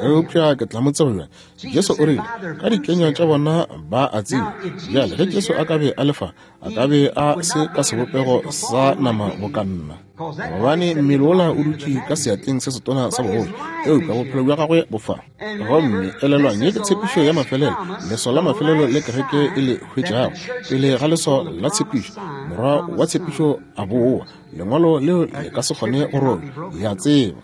Eupša ke tla mo tseba bjang? Jesu o rile, ka dikenywa tša bona ba a tseba. Bjale, ge Jesu a ka be a le fa, a ka be a se ka sebopego sa nama boka nna, gobane mmele wola o dutše ka seatleng se setona sa bogolo, eupša bophelo bja gagwe bo fa. Gomme elelwang, ye ke tshepišo ya mafelelo, leswao la mafelelo le kereke e le hwetšago pele ga leswao la tshepišo, morwa wa tshepišo a boa. Lengwalo leo le ka se kgone go robja, le a tseba.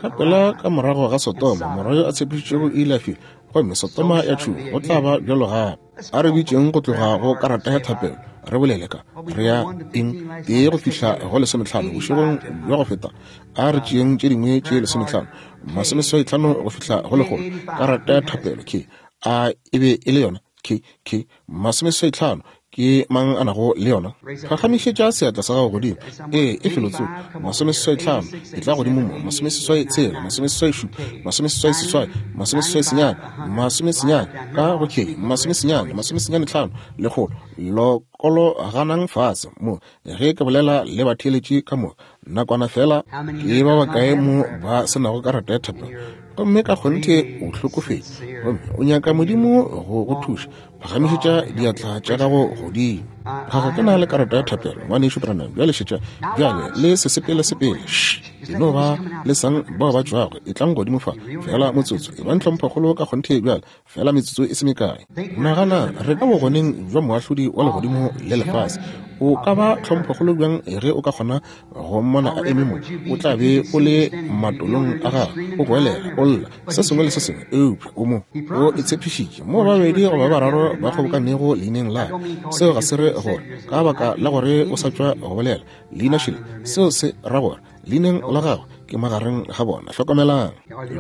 Ka pela ka morago ga Sodoma, morwa yo a tshepišitšwego o ile a fihla, gomme Sodoma ya tšhungwa. Go tla ba bjalo gape. A re bitšeng go tloga go karata ya thapelo, re bolele ka, re ya eng, tee go fihla go lesometlhano bošegong bja go feta. A re tšeeng tše dingwe tše lesometlhano, masomeseswaitlhano go fihla go lekgolo. Karata ya thapelo, ke, a e be e le yona? Ke, ke, masomeseswaitlhano, ke mang a nago le yona? Phagamišetša seatla sa gago godimo. Ee, e felotsoko. Masomeseswaitlhano, e tla godimo mo. Masomeseswai tshela, masomeseswai šupa, masomeseswai seswai, masomeseswai senyane, masomesenyane, ka go K, masomesenyane, masomesenyane tlhano, lekgolo. Lokologanang fase mo, ge ke bolela le batheeletši ka moka. Nakwana feela, ke ba bakae mo ba se nago karata ya thapelo? Gomme ka kgonthe o hlokofetše, gomme o nyaka Modimo go go thuša. Phagamišetša diatla tša gago godimo. Ga ga ke na le karata ya thapelo, Ngwanešu Branham. Bjale šetša. Bjale le se sepele sepele. Shh. E no ba le sang bao ba tšwago. Etlang godimo fa, feela motsotso. Ebang tlhomphokgolo ka kgonthe bjale, feela metsotso e se mekae. Nagana, re ka bogoneng bja Moahlodi wa legodimo le lefase. O ka ba tlhomphokgolo bjang ge o ka kgona go mmona a eme mo? O tla be o le matolong a gagwe, o goelela, o lla, se sengwe le se sengwe, eupša o mo. O e tshepišitše, mo babedi goba ba bararo ba kgobokanego leineng la ka. Seo ga se re gore ka baka la gore o sa tšwa go bolela leina šele, seo se ra gore leineng la gagwe ke magareng ga bona. Hlokomelang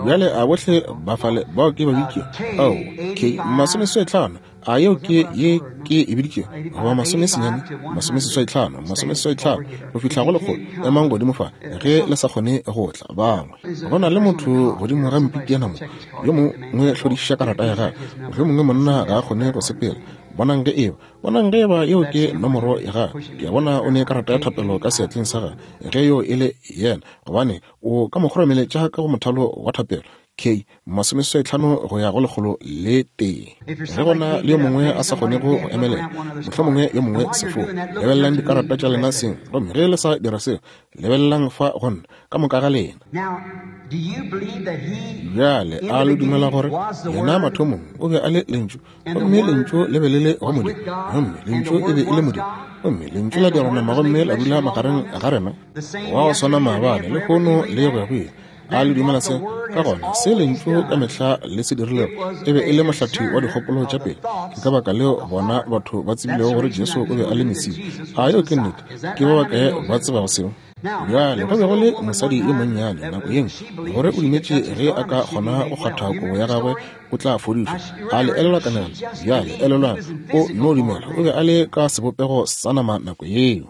bjale, a bohle ba fale bao ke ba bitše? Ao, ke masomeseswaitlhano. A yeo ke ye ke e biditšego? Goba masomesenyane, masomeseswaitlhano, masomeseswaitlhano go fihla go lekgolo. Emang godimo fa ge le sa kgone go tla. Bangwe, go na le motho godimo ga mpitiana mo, yo mongwe hlodišiša karata ya gagwe. Mohlomongwe monna ga a kgone go sepela. Bonang ge eba, bonang ge eba yeo ke nomoro ya gagwe. Ke a bona o ne karata ya thapelo ka seatleng sa gagwe. Ge yo e le yena, gobane o ka mo kgoromeletša ka go mothalo wa thapelo. K, masomeseswaitlhano go ya go lekgolo le tee. Ge go na le yo mongwe a sa kgonego go emelela, mohlomongwe yo mongwe sefo, lebelelang dikarata tša lena seng, gomme ge le sa dira seo, lebelelang fa go nna, ka moka ga lena. Bjale, a le dumela gore Yena mathomong o be a le Lentšu, gomme Lentšu le be le le go Modimo, gomme Lentšu e be e le Modimo, gomme Lentšu la dirwa nama gomme la dula magareng ga rena, wa go swana maabane, lehono, le go ya go ile? A le dumela se? Ka gona se Lentšu ka mehla le se dirilego e be e le mohlathi wa dikgopolo tša pele. Ke ka baka leo bona batho ba tsebilego gore Jesu o be a le Mesia. A yeo ke nnete? Ke ba bakae ba tsebago seo? Bjale go be go le mosadi yo monnyane nako ye nngwe gore o dumetše ge a ka kgona go kgwatha kobo ya gagwe o tla fodišwa. A le elelwa kanegelo? Bjale elelwang, o no dumela. O be a le ka sebopego sa nama nako yeo.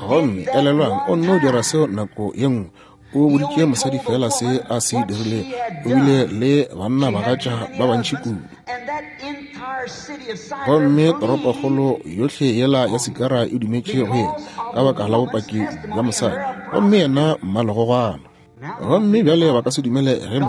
Gomme elelwang, o nno dira seo nako ye nngwe. O boditše mosadi feela se a se dirilego. O bile le bannabagatša ba bantši kudu. Gomme toropokgolo yohle yela ya Sikara e dumetše go yena ka baka la bopaki bja mosadi. Gomme yena mmalegogwana. Gomme bjale ba ka se dumele ge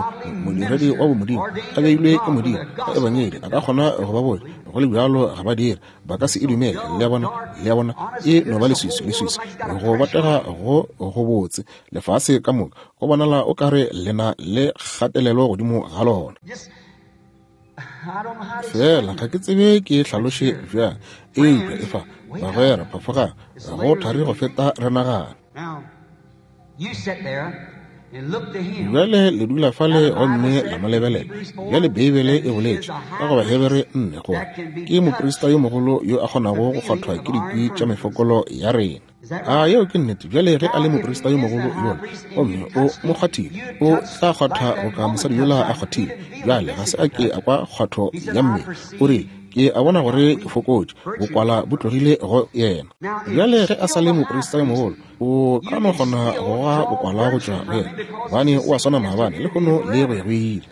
modiredi wa bomodimo a beilwe ke Modimo ka Ebangedi a ka kgona go ba botša, go le bjalo ga ba dire. Ba ka se e dumele. Le a bona? Le a bona? E no ba leswiswi, leswiswi. Go botega go go botse, lefase ka moka, go bonala o ka re le na le kgatelelo godimo ga lona. Fela ga ke tsebe ke hlaloše bjang, eupša efa, bagwera, phafogang, go thari go feta re nagana. Bjale le dula fale gomme la mo lebelela. Bjale Beibele e boletše ka go Bahebere 4 gore ke moprista yo mogolo yo a kgonago go kgwathwa ke dikwi tša mefokolo ya rena. A yeo ke nnete? Bjale ge a le moprista yo mogolo yola gomme o mo kgwathile, o tla kgwatha boka mosadi yola a kgwathile. Bjale ga se a ke a kwa kgwatho ya mmele. O rile, Ke a bona gore ke fokotše, bokwala bo tlogile go yena. Bjale ge a sa le moprista yo mogolo, o ka no kgona go goga bokwala go tšwa go yena, gobane o a swana maabane, lehono le go ya go ile.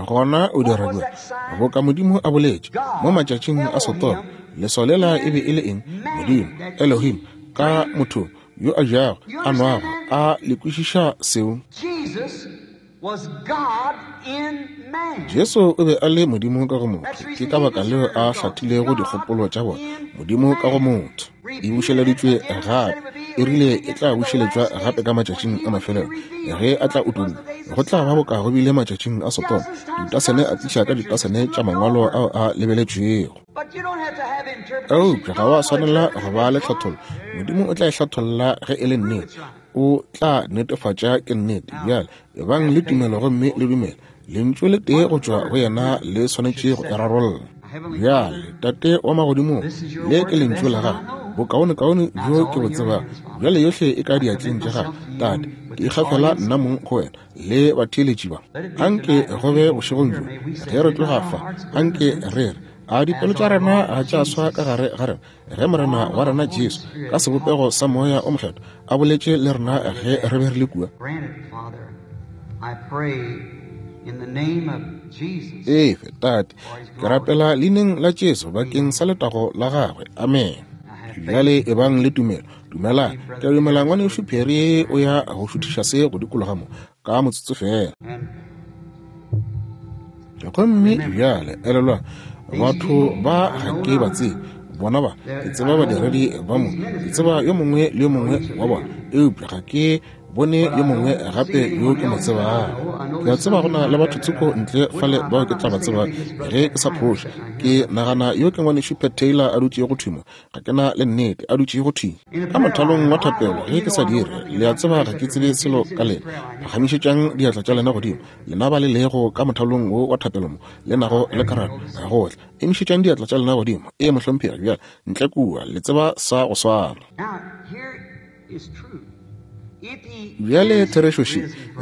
Gona o dira bjang? Boka Modimo a boletše mo matšatšing a Sodoma, leswao lela e be e le eng? Modimo, Elohim, ka mothong yo a jago, a nwago. A le kwešiša seo? Jesu o be a le Modimo ka go motho. Ke ka baka leo a hlathilego dikgopolo tša bona. Modimo ka go motho. E bušeleditšwe gape. E rile e tla bušeletšwa gape ka matšatšing a mafelelo, ge a tla utollwa. Go tla ba boka go bile matšatšing a Sodoma, ditasene a tliša ka ditasene tša mangwalo ao a lebeletšwego. Eupša ga wa swanela go ba le tlhathollo. Modimo o tla e hlatholla ge e le nnete. O tla netefatša ke nnete. Bjale, ebang le tumelo gomme le dumele. Lentšu le tee go tšwa go yena le swanetše go e rarolla. Bjale, Tate wa Magodimong, le ke Lentšu la Gago, bokaonekaone bjo ke bo tsebago. Bjale yohle e ka diatleng tša Gago, Tate. Ke ikgafela nna mong go Wena le batheeletši ba. Anke go be bošegong bjo, ge re tloga fa, anke re re, A dipelo tša rena ga tša swa ka gare ga rena, ge Morena wa rena Jesu ka sebopego sa Moya o Mokgethwa a boletše le rena ge re be re le kua? Efe, Tate, ke rapela leineng la Jesu bakeng sa letago la gagwe. Amen. Bjale ebang le tumelo. Dumelang. Ke a dumela Ngwanešu Perry o ya go šuthiša se go dikologa mo ka motsotso feela. Gomme bjale, elelwang, batho ba ga ke ba tsebe. Bona ba, ke tseba badiredi ba mo, ke tseba yo mongwe le yo mongwe wa bona, eupša ga ke bone yo mongwe gape yo ke mo tsebago. Ke a tseba go na le batho tsoko ntle fale bao ke tla ba tsebang ge ke sa phoša. Ke nagana yo ke Ngwanešu Pat Taylor a dutšego thwi mo, ga ke na le nnete, a dutšego thwi ka mothalong wa thapelo. Ge ke sa dire, le a tseba ga ke tsebe selo ka lena. Phagamišetšang diatla tša lena godimo. Lena ba le lego ka mothalong wo wa thapelo mo, le nago le karata, go tla, emišetšang diatla tša lena godimo. Ee, mohlomphegi, bjale, ntle kua, le tseba sa go swana. Bjale, therešo še,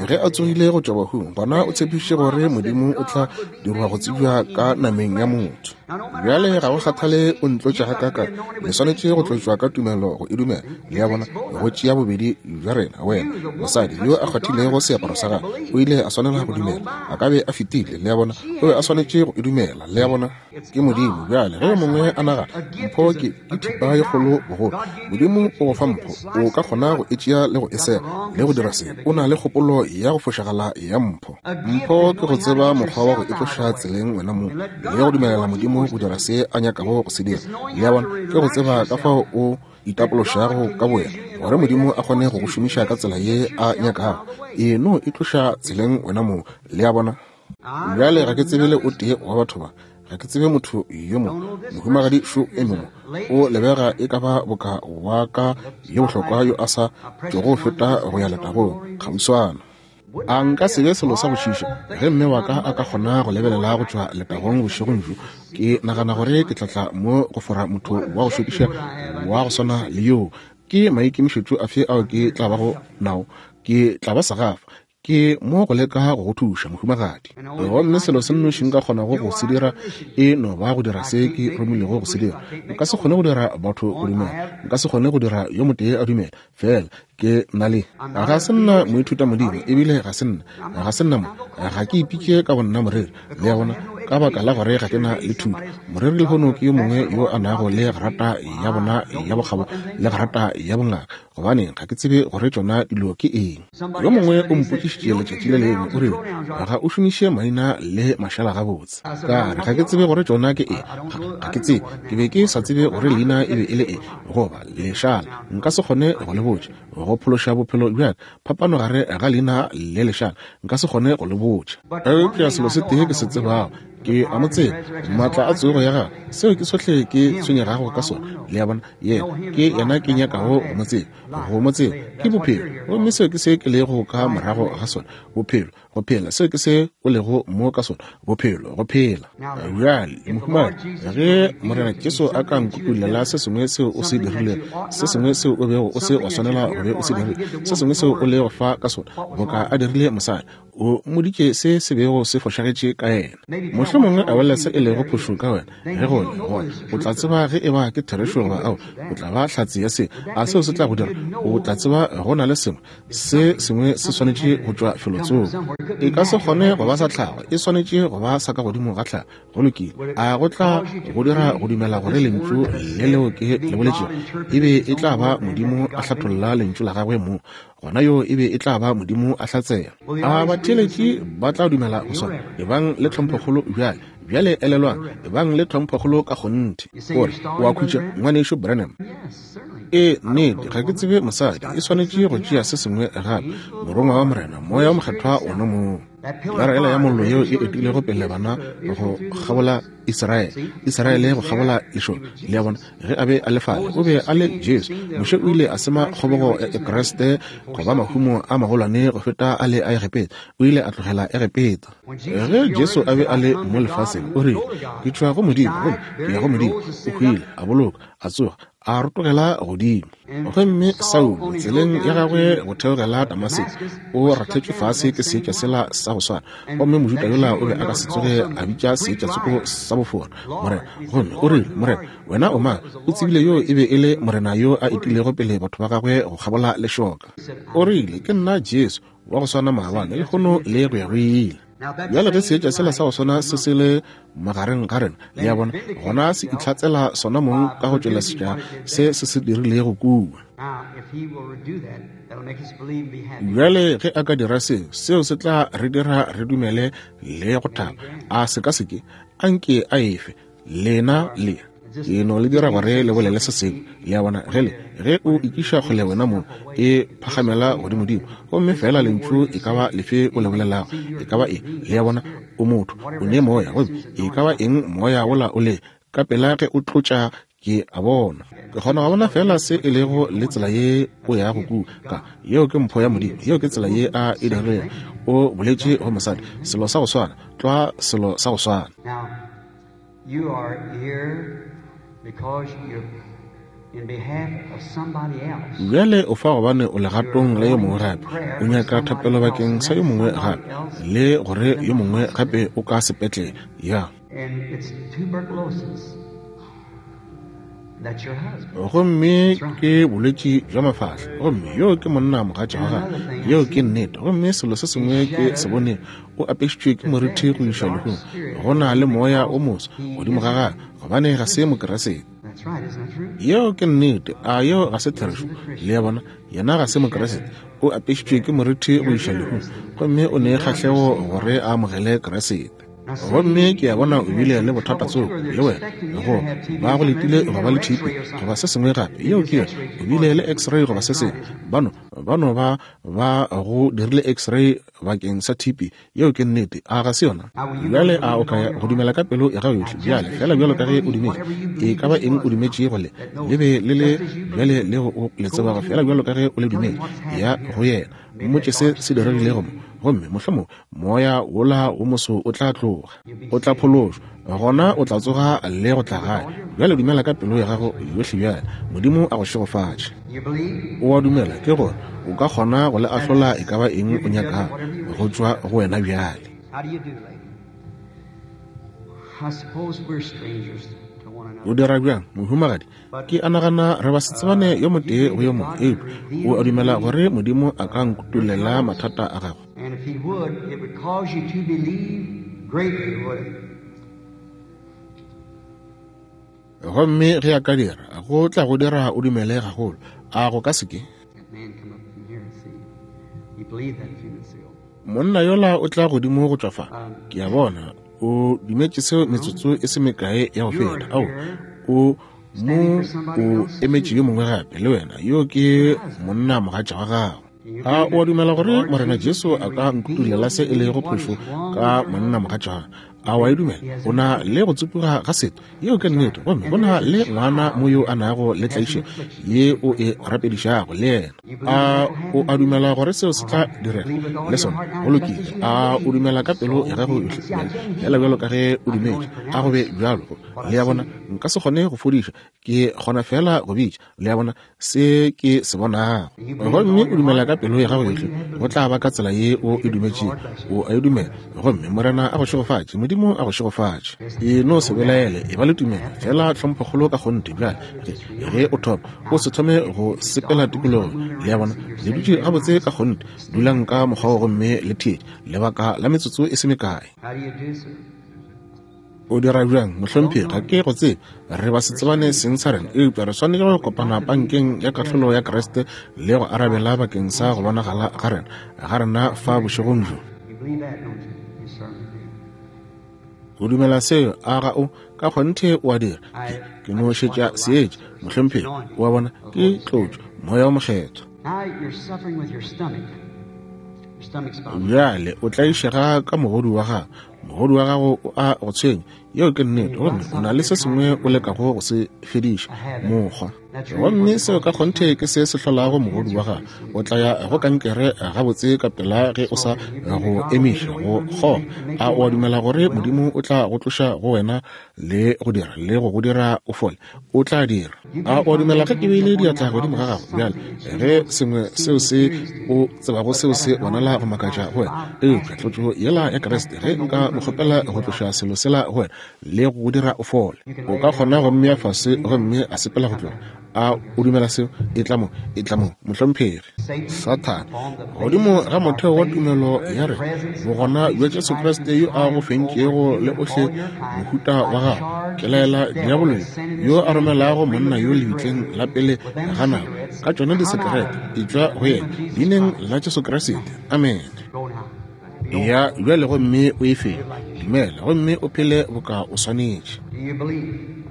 ge a tsogile go tšwa bahung, gona o tshepišitše gore Modimo o tla dirwa go tsebja ka nameng ya motho. Bjale ga go kgathale o ntlotša gakaakang, le swanetše go tlotšwa ka tumelo go e dumela. Le a bona, go tšea bobedi bja rena. Wena, mosadi yo a kgwathilego seaparo sa gagwe, o ile a swanela go dumela. A ka be a fetile, le a bona, o be a swanetše go e dumela. Le a bona? Ke Modimo. Bjale, ge yo mongwe a nagana, mpho ke, ke thipa ye kgolo bogolo. Modimo o go fa mpho, o ka kgona go e tšea le go e sega, le go dira se. O na le kgopolo ya go fošagala ya mpho. Mpho ke go tseba mokgwa wa go e tloša tseleng wena mong, le go dumelela Modimo go dira se a nyakago go se dira. Le a bona? Ke go tseba ka fao o itapološago ka bowena, gore Modimo a kgone go go šomiša ka tsela ye a nyakago. E no e tloša tseleng wena mong. Le a bona? Bjale ga ke tsebe le o tee wa batho ba. Ga ke tsebe motho yo mo. Mohumagadi šo eme mo. O lebega e ka ba boka wa ka yo bohlokwa yo a sa tšogo feta go ya letagong kgauswana. A nka se be selo sa go šiša ge mme wa ka a ka kgona go lebelela go tšwa letagong bošegong bjo. Ke nagana gore ke tla tla mo go fora motho wa go šokiša wa go swana le yoo. Ke maikemišetšo afe ao ke tla bago nao? Ke tla ba segafa. Ke mo go leka go go thuša, mohumagadi. Gomme selo se nnoši nka kgonago go se dira e no ba go dira se ke romilego go se dira. Nka se kgone go dira batho go dumela. Nka se kgone go dira yo motee a dumela. Fela ke na le. Ga se nna moithutamodimo, ebile ga se nna. Ga se nna mo. Ga ke ipitše ka bonna moreri. Le a bona? Ka baka la gore ga ke na le thuto. Moreri lehono ke yo mongwe yo a nago le grata ya bona ya bokgabo le grata ya bongaka. Gobane ga ke tsebe gore tšona dilo ke eng. Yo mongwe o mpotšišitše letšatši le lengwe, o rile, Ga o šomiše maina le mašala gabotse. Ka re, Ga ke tsebe gore tšona ke eng. Ga, ga ke tsebe. Ke be ke sa tsebe gore leina e be e le eng, goba lešala. Nka se kgone go le botša. Go phološa bophelo bja ka, phapano gare ga leina le lešala, nka se kgone go le botša. Eupša selo se tee ke se tsebago, ke a mo tseba, maatla a tsogo ya gagwe, seo ke sohle ke tshwenyegago ka sona. Le a bona? Yena, ke yena ke nyakago go mo tseba. Go mo tseba ke bophelo, gomme seo ke se ke lego ka morago ga sona, bophelo, go phela. Seo ke se o lego mo ka sona, bophelo, go phela. Bjale, mohumagadi, ge Morena Jesu a ka nkutollela se sengwe seo o se dirilego, se sengwe seo o bego o se wa swanela go be o se dirile, se sengwe seo o lego fa ka sona, boka a dirile mosadi, o mmoditše se se bego se fošagetše ka yena. Mohlomongwe a bolela se e lego phošo ka wena. Ge go le gona, o tla tseba ge e ba ke therešo goba ao. O tla ba hlatse ya se. A seo se tla go dira? O tla tseba go na le sengwe. Se sengwe se swanetše go tšwa felotsoko. E ka se kgone go ba sa tlhago. E swanetše go ba sa ka godimo ga tlhago. Go lokile. A go tla go dira go dumela gore Lentšu le leo ke le boletšego e be e tla ba Modimo a hlatholla Lentšu la Gagwe mo? Gona yoo e be e tla ba Modimo a hlatsela. A batheeletši ba tla dumela go sona? Ebang le tlhomphokgolo bjale. Bjale elelwang, ebang le tlhomphokgolo ka kgonthe. O re, O a khutša, Ngwanešu Branham? Ee, nnete, ga ke tsebe mosadi. E swanetše go tšea se sengwe gape, Morongwa wa Morena, Moya wo Mokgethwa wona mong. Pilara yela ya Mollo yeo e etilego pele bana go kgabola Israele, Israele go kgabola lešoka. Le a bona, ge a be a le fale, o be a le Jesu. Moshe o ile a sema kgobogo ya Kriste go ba mahumo a magolwane go feta a le a Egepeta. O ile a tlogela Egepeta. Ge Jesu a be a le mo lefaseng, o rile, Ke tšwa go Modimo, gomme ke ya go Modimo. O hwile, a bolokwa, a tsoga, a rotogela godimo. Gomme Saulo, tseleng ya gagwe go theogela Damaseko, o rathetšwe fase ke seetša sela sa go swana. Gomme Mojuda yola o be a ka se tsoge a bitša seetša tsoko sa bofora, Morena. Gomme o rile, Morena, Wena o mang? O tsebile yoo e be e le Morena yo a etilego pele batho ba gagwe go kgabola lešoka. O rile, Ke nna Jesu, wa go swana maabane, lehono, le go ya go ile. Bjale ge seetša sela sa go swana se se le magareng ga rena, le a bona, gona se itlhatsela sona mong ka go tšwelesetša se se se dirilego kua. Bjale ge a ka dira seo, seo se tla re dira re dumele le go thaba. A se ka se ke? A nke a efe. Lena le ke no le dira gore le bolele se sengwe. Le a bona, ge le, ge o ikiša kgole wena mong, e phagamela godimodimo. Gomme feela lentšu e ka ba lefe o le bolelago, e ka ba eng, le a bona, o motho, o ne moya, gomme e ka ba eng moya wola o le, ka pela ge o tlotša, ke a bona. Ke kgona go bona feela se e lego le tsela ye o yago kua. Ka, yeo ke mpho ya Modimo, yeo ke tsela ye A e dirilego. O boletše go mosadi, selo sa go swana, tlwa selo sa go swana. You are here because you're in behalf of somebody else. Bjale o fa gobane o legatong la yo mongwe gape. O nyaka thapelo bakeng sa yo mongwe gape, le gore yo mongwe gape o ka sepetlele. Ya. And it's tuberculosis. That's your husband. Gomme ke bolwetši bja mafahla. Gomme yo ke monna mogatša wa gagwe. Yeo ke nnete. Gomme selo se sengwe ke se bonego, o apešitšwe ke moriti go iša lehung. Go na le moya o moso godimo ga gagwe, gobane ga se Mokeresete. Yeo ke nnete. A yeo ga se therešo? Le a bona, yena ga se Mokeresete. O apešitšwe ke moriti go iša lehung, gomme o ne kgahlego gore a amogele Keresete. Gomme ke a bona o bile le bothata tsoko, le wena, go ba go letile go ba le TB goba se sengwe gape. Yeo ke yona. O bile le x-ray goba se sengwe. Ba no. Ba no ba ba go dirile x-ray bakeng sa TB. Yeo ke nnete, a ga se yona? Bjale a o ka ya go dumela ka pelo ya gago yohle bjale, feela bjalo ka ge o dumetše? E ka ba eng o dumetšego le, le be le le bjale leo o le tsebago, feela bjalo ka ge o le dumetše, ya go yena, mmotše se se diregilego mo, gomme mohlomongwe moya wola wo moso o tla tloga. O tla phološwa, gona o tla tsoga le go tla gae. Bjale dumela ka pelo ya gago yohle bjale. Modimo a go šegofatše. O a dumela, ke gore o ka kgona go le ahlola e ka ba eng o nyakago go tšwa go wena bjale. O dira bjang, mohumagadi? Ke a nagana re basetsebane yo motee go yo mongwe, eupša o a dumela gore Modimo a ka nkutollela mathata a gago? And if he would, it would cause you to believe greatly, would it? Gomme ge a ka dira, go tla go dira o dumele gagolo, a go ka se ke? Monna yola o tla godimo go tšwa fa, ke a bona, o dumetše seo metsotso e se mekae ya go feta. Ao, o mo o emetše yo mongwe gape le wena, yo ke monna mogatša wa gago. A o a dumela gore Morena Jesu a ka nkutulela se e lego phošo ka monna mogatšana? A wa e dumela? O na le go tsopoga ga setho. Yeo ke nnete. Gomme go na le ngwana mo yo a nago le tlaišego ye o e rapedišago le yena. A o a dumela gore seo se tla direga le sona? Go lokile. A o dumela ka pelo ya gago yohle bjale, feela bjalo ka ge o dumetše? A go be bjalo. Le a bona, nka se kgone go fodiša, ke kgona feela go bitša. Le a bona, se ke se bonago. Gomme o dumela ka pelo ya gago yohle, go tla ba ka tsela ye o e dumetšego. O a e dumela. Gomme Morena a go šegofatše. Modimo a go šegofatše. E no se belaele, e ba le tumelo, feela tlhomphokgolo ka kgonthe. Bjale, ge, ge o thoma, o se thome go sepela tikologong. Le a bona, le dutše gabotse ka kgonthe. Dulang ka mokgwa wo gomme le theetše, lebaka la metsotso e se mekae. O dira bjang, mohlomphegi? Ga ke go tsebe. Re ba se tsebane seng sa rena, eupša re swanetše go kopana pankeng ya kahlolo ya Kriste le go arabela bakeng sa go bonagala ga rena, ga rena fa bošegong bjo. O dumela seo, a ga o? Ka kgonthe o a dira. Ke, ke no šetša seetša, mohlomphegi. O a bona, ke tlotšo, Moya wo Mokgethwa. Bjale o tlaišega ka mogodu wa gago. Mogodu wa gago o a go tshwenya. Yeo ke nnete. Gomme o na le se sengwe o lekago go se fediša, mokgwa. Gomme seo ka kgonthe ke se se hlolago mogodu wa gago. O tla ya go kankere gabotse ka pela ge o sa go emiša go kgoga. A o a dumela gore Modimo o tla go tloša go wena le go dira, le go go dira o fole? O tla dira. A o a dumela ge ke beile diatla godimo ga gago bjale, ge sengwe seo se o tsebago seo se bonala go makatša go wena, eupša tlotšo yela ya Kriste, ge nka mo kgopela go tloša selo sela go wena le go go dira o fole, o ka kgona go mmea fase gomme a sepela go tloga. A o dumela seo? Etla mo, etla mo, mohlomphegi. Sathane, godimo ga motheo wa tumelo ya rena, bogona bja Jesu Kriste yo a go fentšego le ohle mohuta wa gago, ke laela diabolo yo a romelago monna yo lebitleng la pele ga nako ka tšona disekerete, etšwa go yena, leineng la Jesu Kriste. Amene. Eya bjale gomme o e fenye. Dumela gomme o phele boka o swanetše. Do you believe?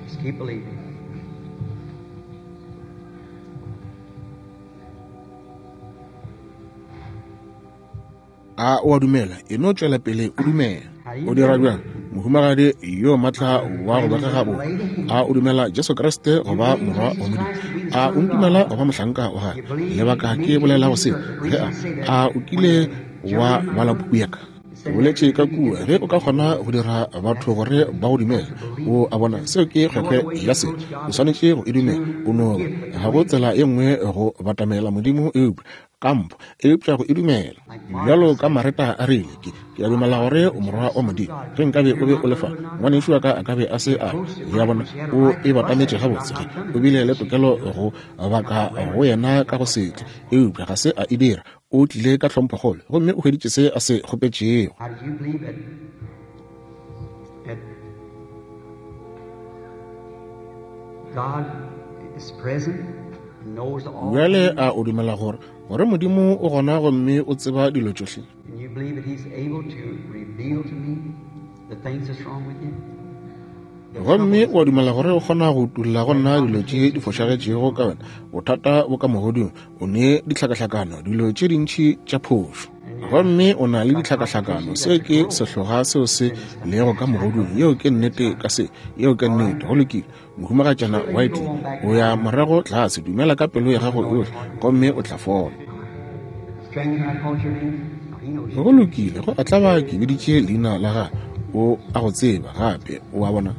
Just keep believing. A o a dumela? E no tšwela pele o dumela. O dira bjang, mohumagadi yo matla wa go begega bo? A o dumela Jesu Kriste go ba Morwa wa Modimo? A o ntumela go ba mohlanka wa gagwe? Lebaka ke bolelago se, ge a, a o kile wa bala puku ya ka? Ke boletše ka kua, ge o ka kgona go dira batho gore ba go dumele. O a bona, seo ke kgwekgwe ya se. O swanetše go e dumela. O no ba, ga go tsela ye nngwe go batamela Modimo eupša ka mpho, eupša go e dumela. Bjalo ka Mareta a rile, Ke, ke a dumela gore o Morwa wa Modimo. Ge nkabe o be o le fa, ngwanešu wa ka a ka be a se a. Le a bona, o e batametše gabotse. Ge, o bile le tokelo go baka go yena ka go se tle, eupša ga se a e dira. O tlile ka tlhomphokgolo gomme o hweditše se a se kgopetšego. How do you believe that, that God is present and knows all Bjale things? a o dumela gore, gore Modimo o gona gomme o tseba dilo tšohle? And you believe that He's able to reveal to me the things that's wrong with you? Gomme o a dumela gore o kgona go utolla go nna dilo tše di fošagetšego ka wena, bothata bo ka mogodung, o ne ditlhakahlakano, dilo tše dintši tša phošo. Gomme o na le ditlhakahlakano, se ke sehloga seo se lego ka mogodung. Yeo ke nnete ka se, yeo ke nnete. Go lokile, Mohumagatšana Whiteley, o ya morago tlase, dumela ka pelo ya gago yohle, gomme o tla fola. Go lokile, go a tlaba ke biditše leina la gagwe, o a go tseba gape, o a bona.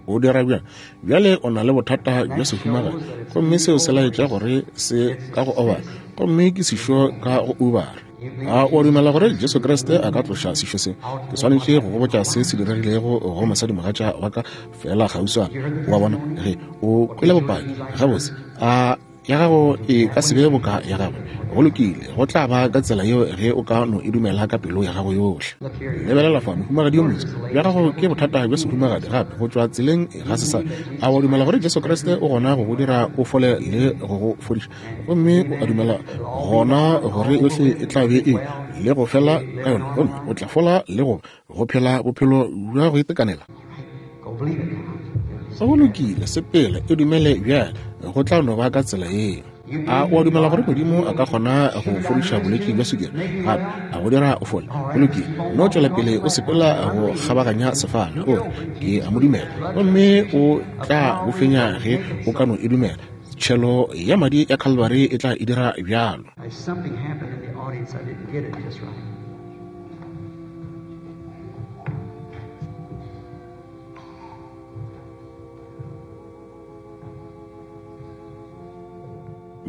O dira bjang? Bjale o na le bothata bja sehumagadi, gomme seo se laetša gore se ka go obara, gomme ke sešo ka go ubara. A o dumela gore Jesu Kriste a ka tloša sešo se? Ke swanetše go go botša se se diregilego go mosadimogatša wa ka feela kgauswana. O a bona? Ge o kwele bopaki, gabotse, a ya gago e ka se be boka ya gagwe? Go lokile, go tla ba ka tsela yeo ge o ka no e dumela ka pelo ya gago yohle. Lebelela fa, mohumagadi yo motse, bja gago ke bothata bja sehumagadi gape go tšwa tseleng ga se sa. A o dumela gore Jesu Kriste o gona go go dira o fole le go go fodiša? Gomme o a dumela gona gore yohle e tla be e le go fela ka yona, gomme o tla fola le go go phela bophelo bja go itekanela? Go lokile, sepela, e dumele bjale, go tla no ba ka tsela yeo. A o a dumela gore Modimo a ka kgona go fodiša bolwetši bja sukiri gape a go dira o fole? Go lokile, no tšwela pele o sepela go kgabaganya sefala, o re, Ke a mo dumela. Gomme o tla bo fenya ge o ka no e dumela. Tšhelo ya madi ya Calvary e tla e dira bjalo.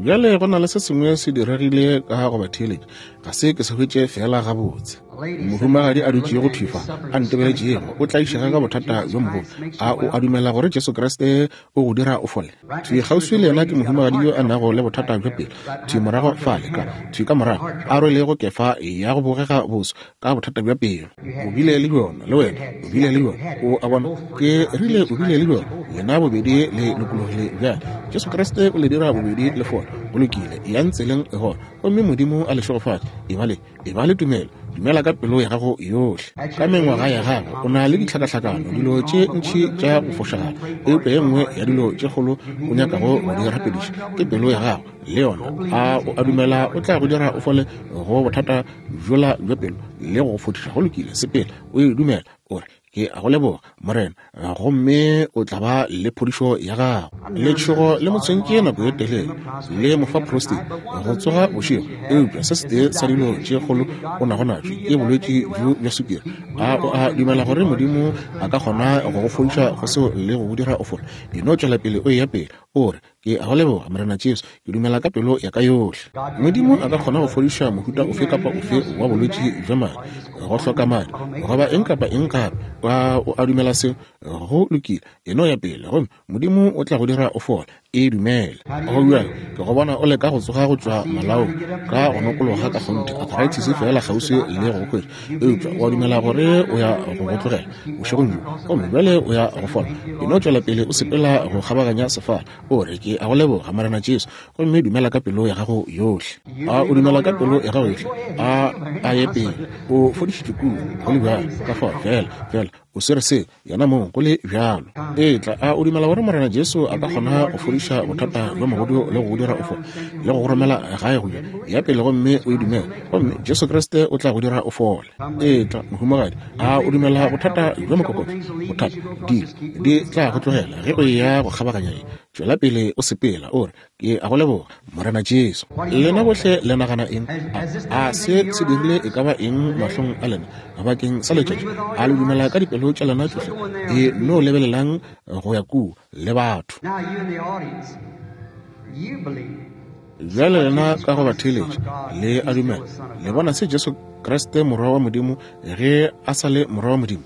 Bjale go na le se sengwe se diregile ka go batheeletši, ga se ke se hwetše feela gabotse. Mohumagadi a dutšego thwi fa, a ntebeletšego, o tlaišega ka bothata bjo mogolo. A o a dumela gore Jesu Kriste o go dira o fole? Thwi kgauswi le yena ke mohumagadi yo a nago le bothata bja pelo, thwi morago fale ka, thwi ka morago, a rwelego kefa ya go bogega boso, ka bothata bja pelo. O bile le bjona, le wena, o bile le bjona. O a bona? Ke rile o bile le bjona. Lena bobedi le lokologile bjale. Jesu Kriste o le dira bobedi le fole. Go lokile. Eyang tseleng gona, gomme Modimo a le šegofatše. Eba le, eba le tumelo. Dumela ka pelo ya gago yohle. Ka mengwaga ya gago, o na le ditlhakahlakano, dilo tše ntši tša go fošagala. Eupša ye nngwe ya dilo tše kgolo o nyakago go di rapediša ke pelo ya gago, le yona. A o a dumela o tla go dira o fole go bothata bjola bja pelo le go go fodiša? Go lokile, sepela, o e dumela, o re, Ke a go leboga, Morena, gomme o tla ba le phodišo ya gago. Letšhogo le mo tshwentše nako ye telele, le mo fa prostate go tsoga bošego, eupša se setee sa dilo tše kgolo o nago natšo ke bolwetši bjo bja sukiri. A o a dumela gore Modimo a ka kgona go go fodiša go seo le go go dira o fole? E no tšwela pele o eya pele, o re, Ke a go leboga, Morena Jesu. Ke dumela ka pelo ya ka yohle. Modimo a ka kgona go fodiša mohuta ofe kapa ofe wa bolwetši bja madi, go hloka madi, goba eng kapa eng gape. A o a dumela seo? Go lokile. E no ya pele, gomme Modimo o tla go dira o fole. E dumele. Go bjalo, ke go bona o leka go tsoga go tšwa malaong ka go nokologa ka kgonthe, arthritis feela kgauswi le go hwetša. Eupša o a dumela gore o ya go go tlogela bošegong bjo, gomme bjale o ya go fola. E no tšwela pele o sepela go kgabaganya sefala, o re, Ke a go leboga, Morena Jesu, gomme dumela ka pelo ya gago yohle. A o dumela ka pelo ya gago yohle? A a ye pele. O fodišitšwe kua, go le bjalo. Ka fao, feela, feela o swere seo, yena mong, go le bjalo. Etla, a o dumela gore Morena Jesu a ka kgona go fodiša bothata bja mogodu le go go dira o fole, le go go romela gae go ja? Ya pele gomme o e dumele, gomme Jesu Kriste o tla go dira o fole. Etla, mohumagadi, a o dumela bothata bja mokokotlo, bothata, di, di tla go tlogela ge o eya go kgabaganya ye. Tšwela pele o sepela, o re, Ke a go leboga, Morena Jesu. Lena bohle le nagana eng? A, a se se dirile e ka ba eng mahlong a lena bakeng sa letšatši? A le dumela ka dipelo tša lena tšohle? E no lebelelang go ya kua le batho. Bjale lena ka go batheeletši le a dumela. Le bona se Jesu Kriste Morwa wa Modimo ge a sa le Morwa wa Modimo?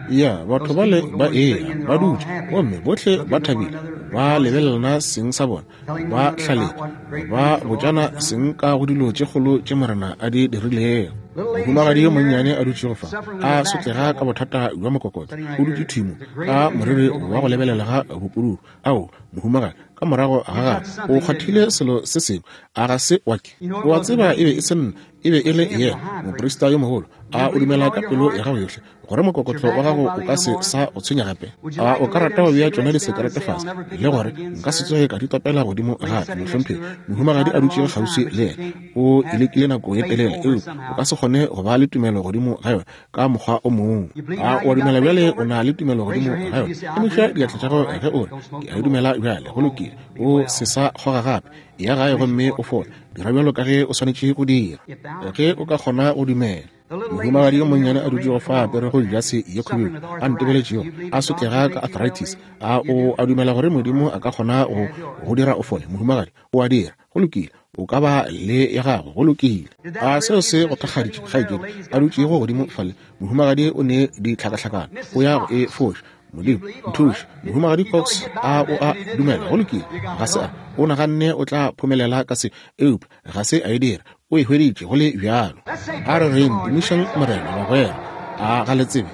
Ya, batho bale ba eya, ba dutše, gomme bohle ba thabile, ba lebelelana seng sa bona, ba hlaletša, ba botšana seng ka go dilo tše kgolo tše Morena a di dirilego. Mohumagadi yo monnyane a dutšego fa, a sotlega ka bothata bja mokokotlo, o dutše thwi mo, ka moriri wa go lebelela ga bopududu. Ao, mohumagadi, ka morago ga gagwe, o kgwathile selo se sengwe, a ga se wa ke? O a tseba e be e se nna. E be e le yena moprista yo mogolo. A o dumela ka pelo ya gago yohle gore mokokotlo wa gago o ka se sa go tshwenya gape? A o ka rata go bea tšona disekerete fase le gore nka se tsoge ka di topela godimo gape? Mohlomphegi, mohumagadi a dutšego kgauswi le yena, o e lekile nako ye telele, eupša o ka se kgone go ba le tumelo godimo ga yona ka mokgwa o mongwe. A o a dumela bjale? O na le tumelo godimo ga yona? Emiša diatla tša gago ge o re, Ke a e dumela bjale. Go lokile. O se sa kgoga gape. Eya gae gomme o fole. Dira bjalo ka ge o swanetše go dira, ge o ka kgona go dumela. Mohumagadi yo monnyane a dutšego fa a aperego jase ye khubedu, a ntebeletšego, a sotlega ka arthritis. A o a dumela gore Modimo a ka kgona go go dira o fole, mohumagadi? O a dira. Go lokile. O ka ba le ya gago. Go lokile. A seo se go thakgaditše, kgaetšedi, a dutšego godimo fale? Mohumagadi o ne ditlhakahlakano. O ya go e foša. Modimo, nthuše. Mohumagadi Cox, a o a dumela? Go lokile. Ga se a. O naganne o tla phomelela ka se, eupša ga se a e dira. O e hweditše go le bjalo. A re reng, tumišang Morena, bagwera. A ga le tsebe?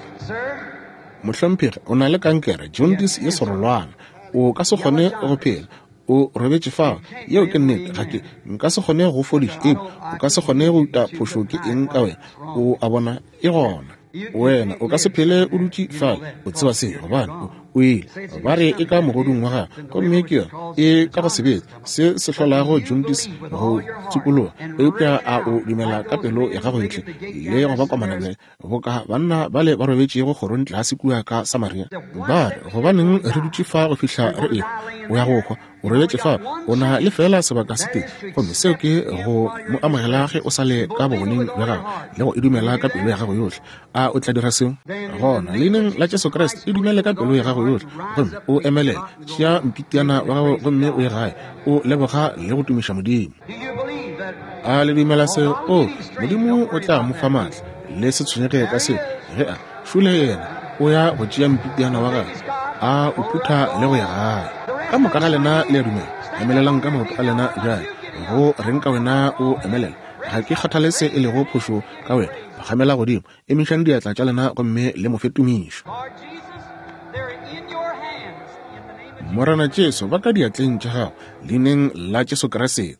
Mohlomphegi, o na le kankere, jaundice ye serolwana. O ka se kgone go phela. O robetše fao. Yeo ke nnete. Ga ke, nka se kgone go fodiša, eupša o ka se kgone go uta phošo ke eng ka wena. O a bona? E gona. Wena o ka se phele o dutše fale, o tseba se, gobane o, o ile. Ba re e ka mogodung wa gago, gomme ke yona e ka go sebetsa se se hlolago jaundice go tsupologa. Eupša a o dumela ka pelo ya gago yohle le go ba komana bjale, boka banna bale ba robetšego kgorong tlase kua ka Samaria? Ba re, Gobaneng re dutše fa go fihla re ehwa? O ya go hwa. O robetše fa, o na le feela sebaka se tee, gomme seo ke go mo amogela ge o sa le ka bogoneng bja gagwe le go e dumela ka pelo ya gago yohle. A o tla dira seo? Gona, leineng la Jesu Kriste, e dumele ka pelo ya gago yohle gomme o emelele. Tšea mpitiana wa gago gomme o ye gae, o leboga le go tumiša Modimo. A le dumela seo? O, Modimo o tla mo fa maatla. Le se tshwenyege ka seo. Ge a šole yena, o ya go tšea mpitiana wa gagwe, a o phutha le go ya gae. Ka moka ga lena le a dumela? Emelelang ka maoto a lena bjale. Go reng ka wena o emelela? Ga ke kgathale se e lego phošo ka wena. Phagamela godimo, emišang diatla tša lena gomme le mo fe tumišo. Morena Jesu, ba ka diatleng tša gago, leineng la Jesu Kriste.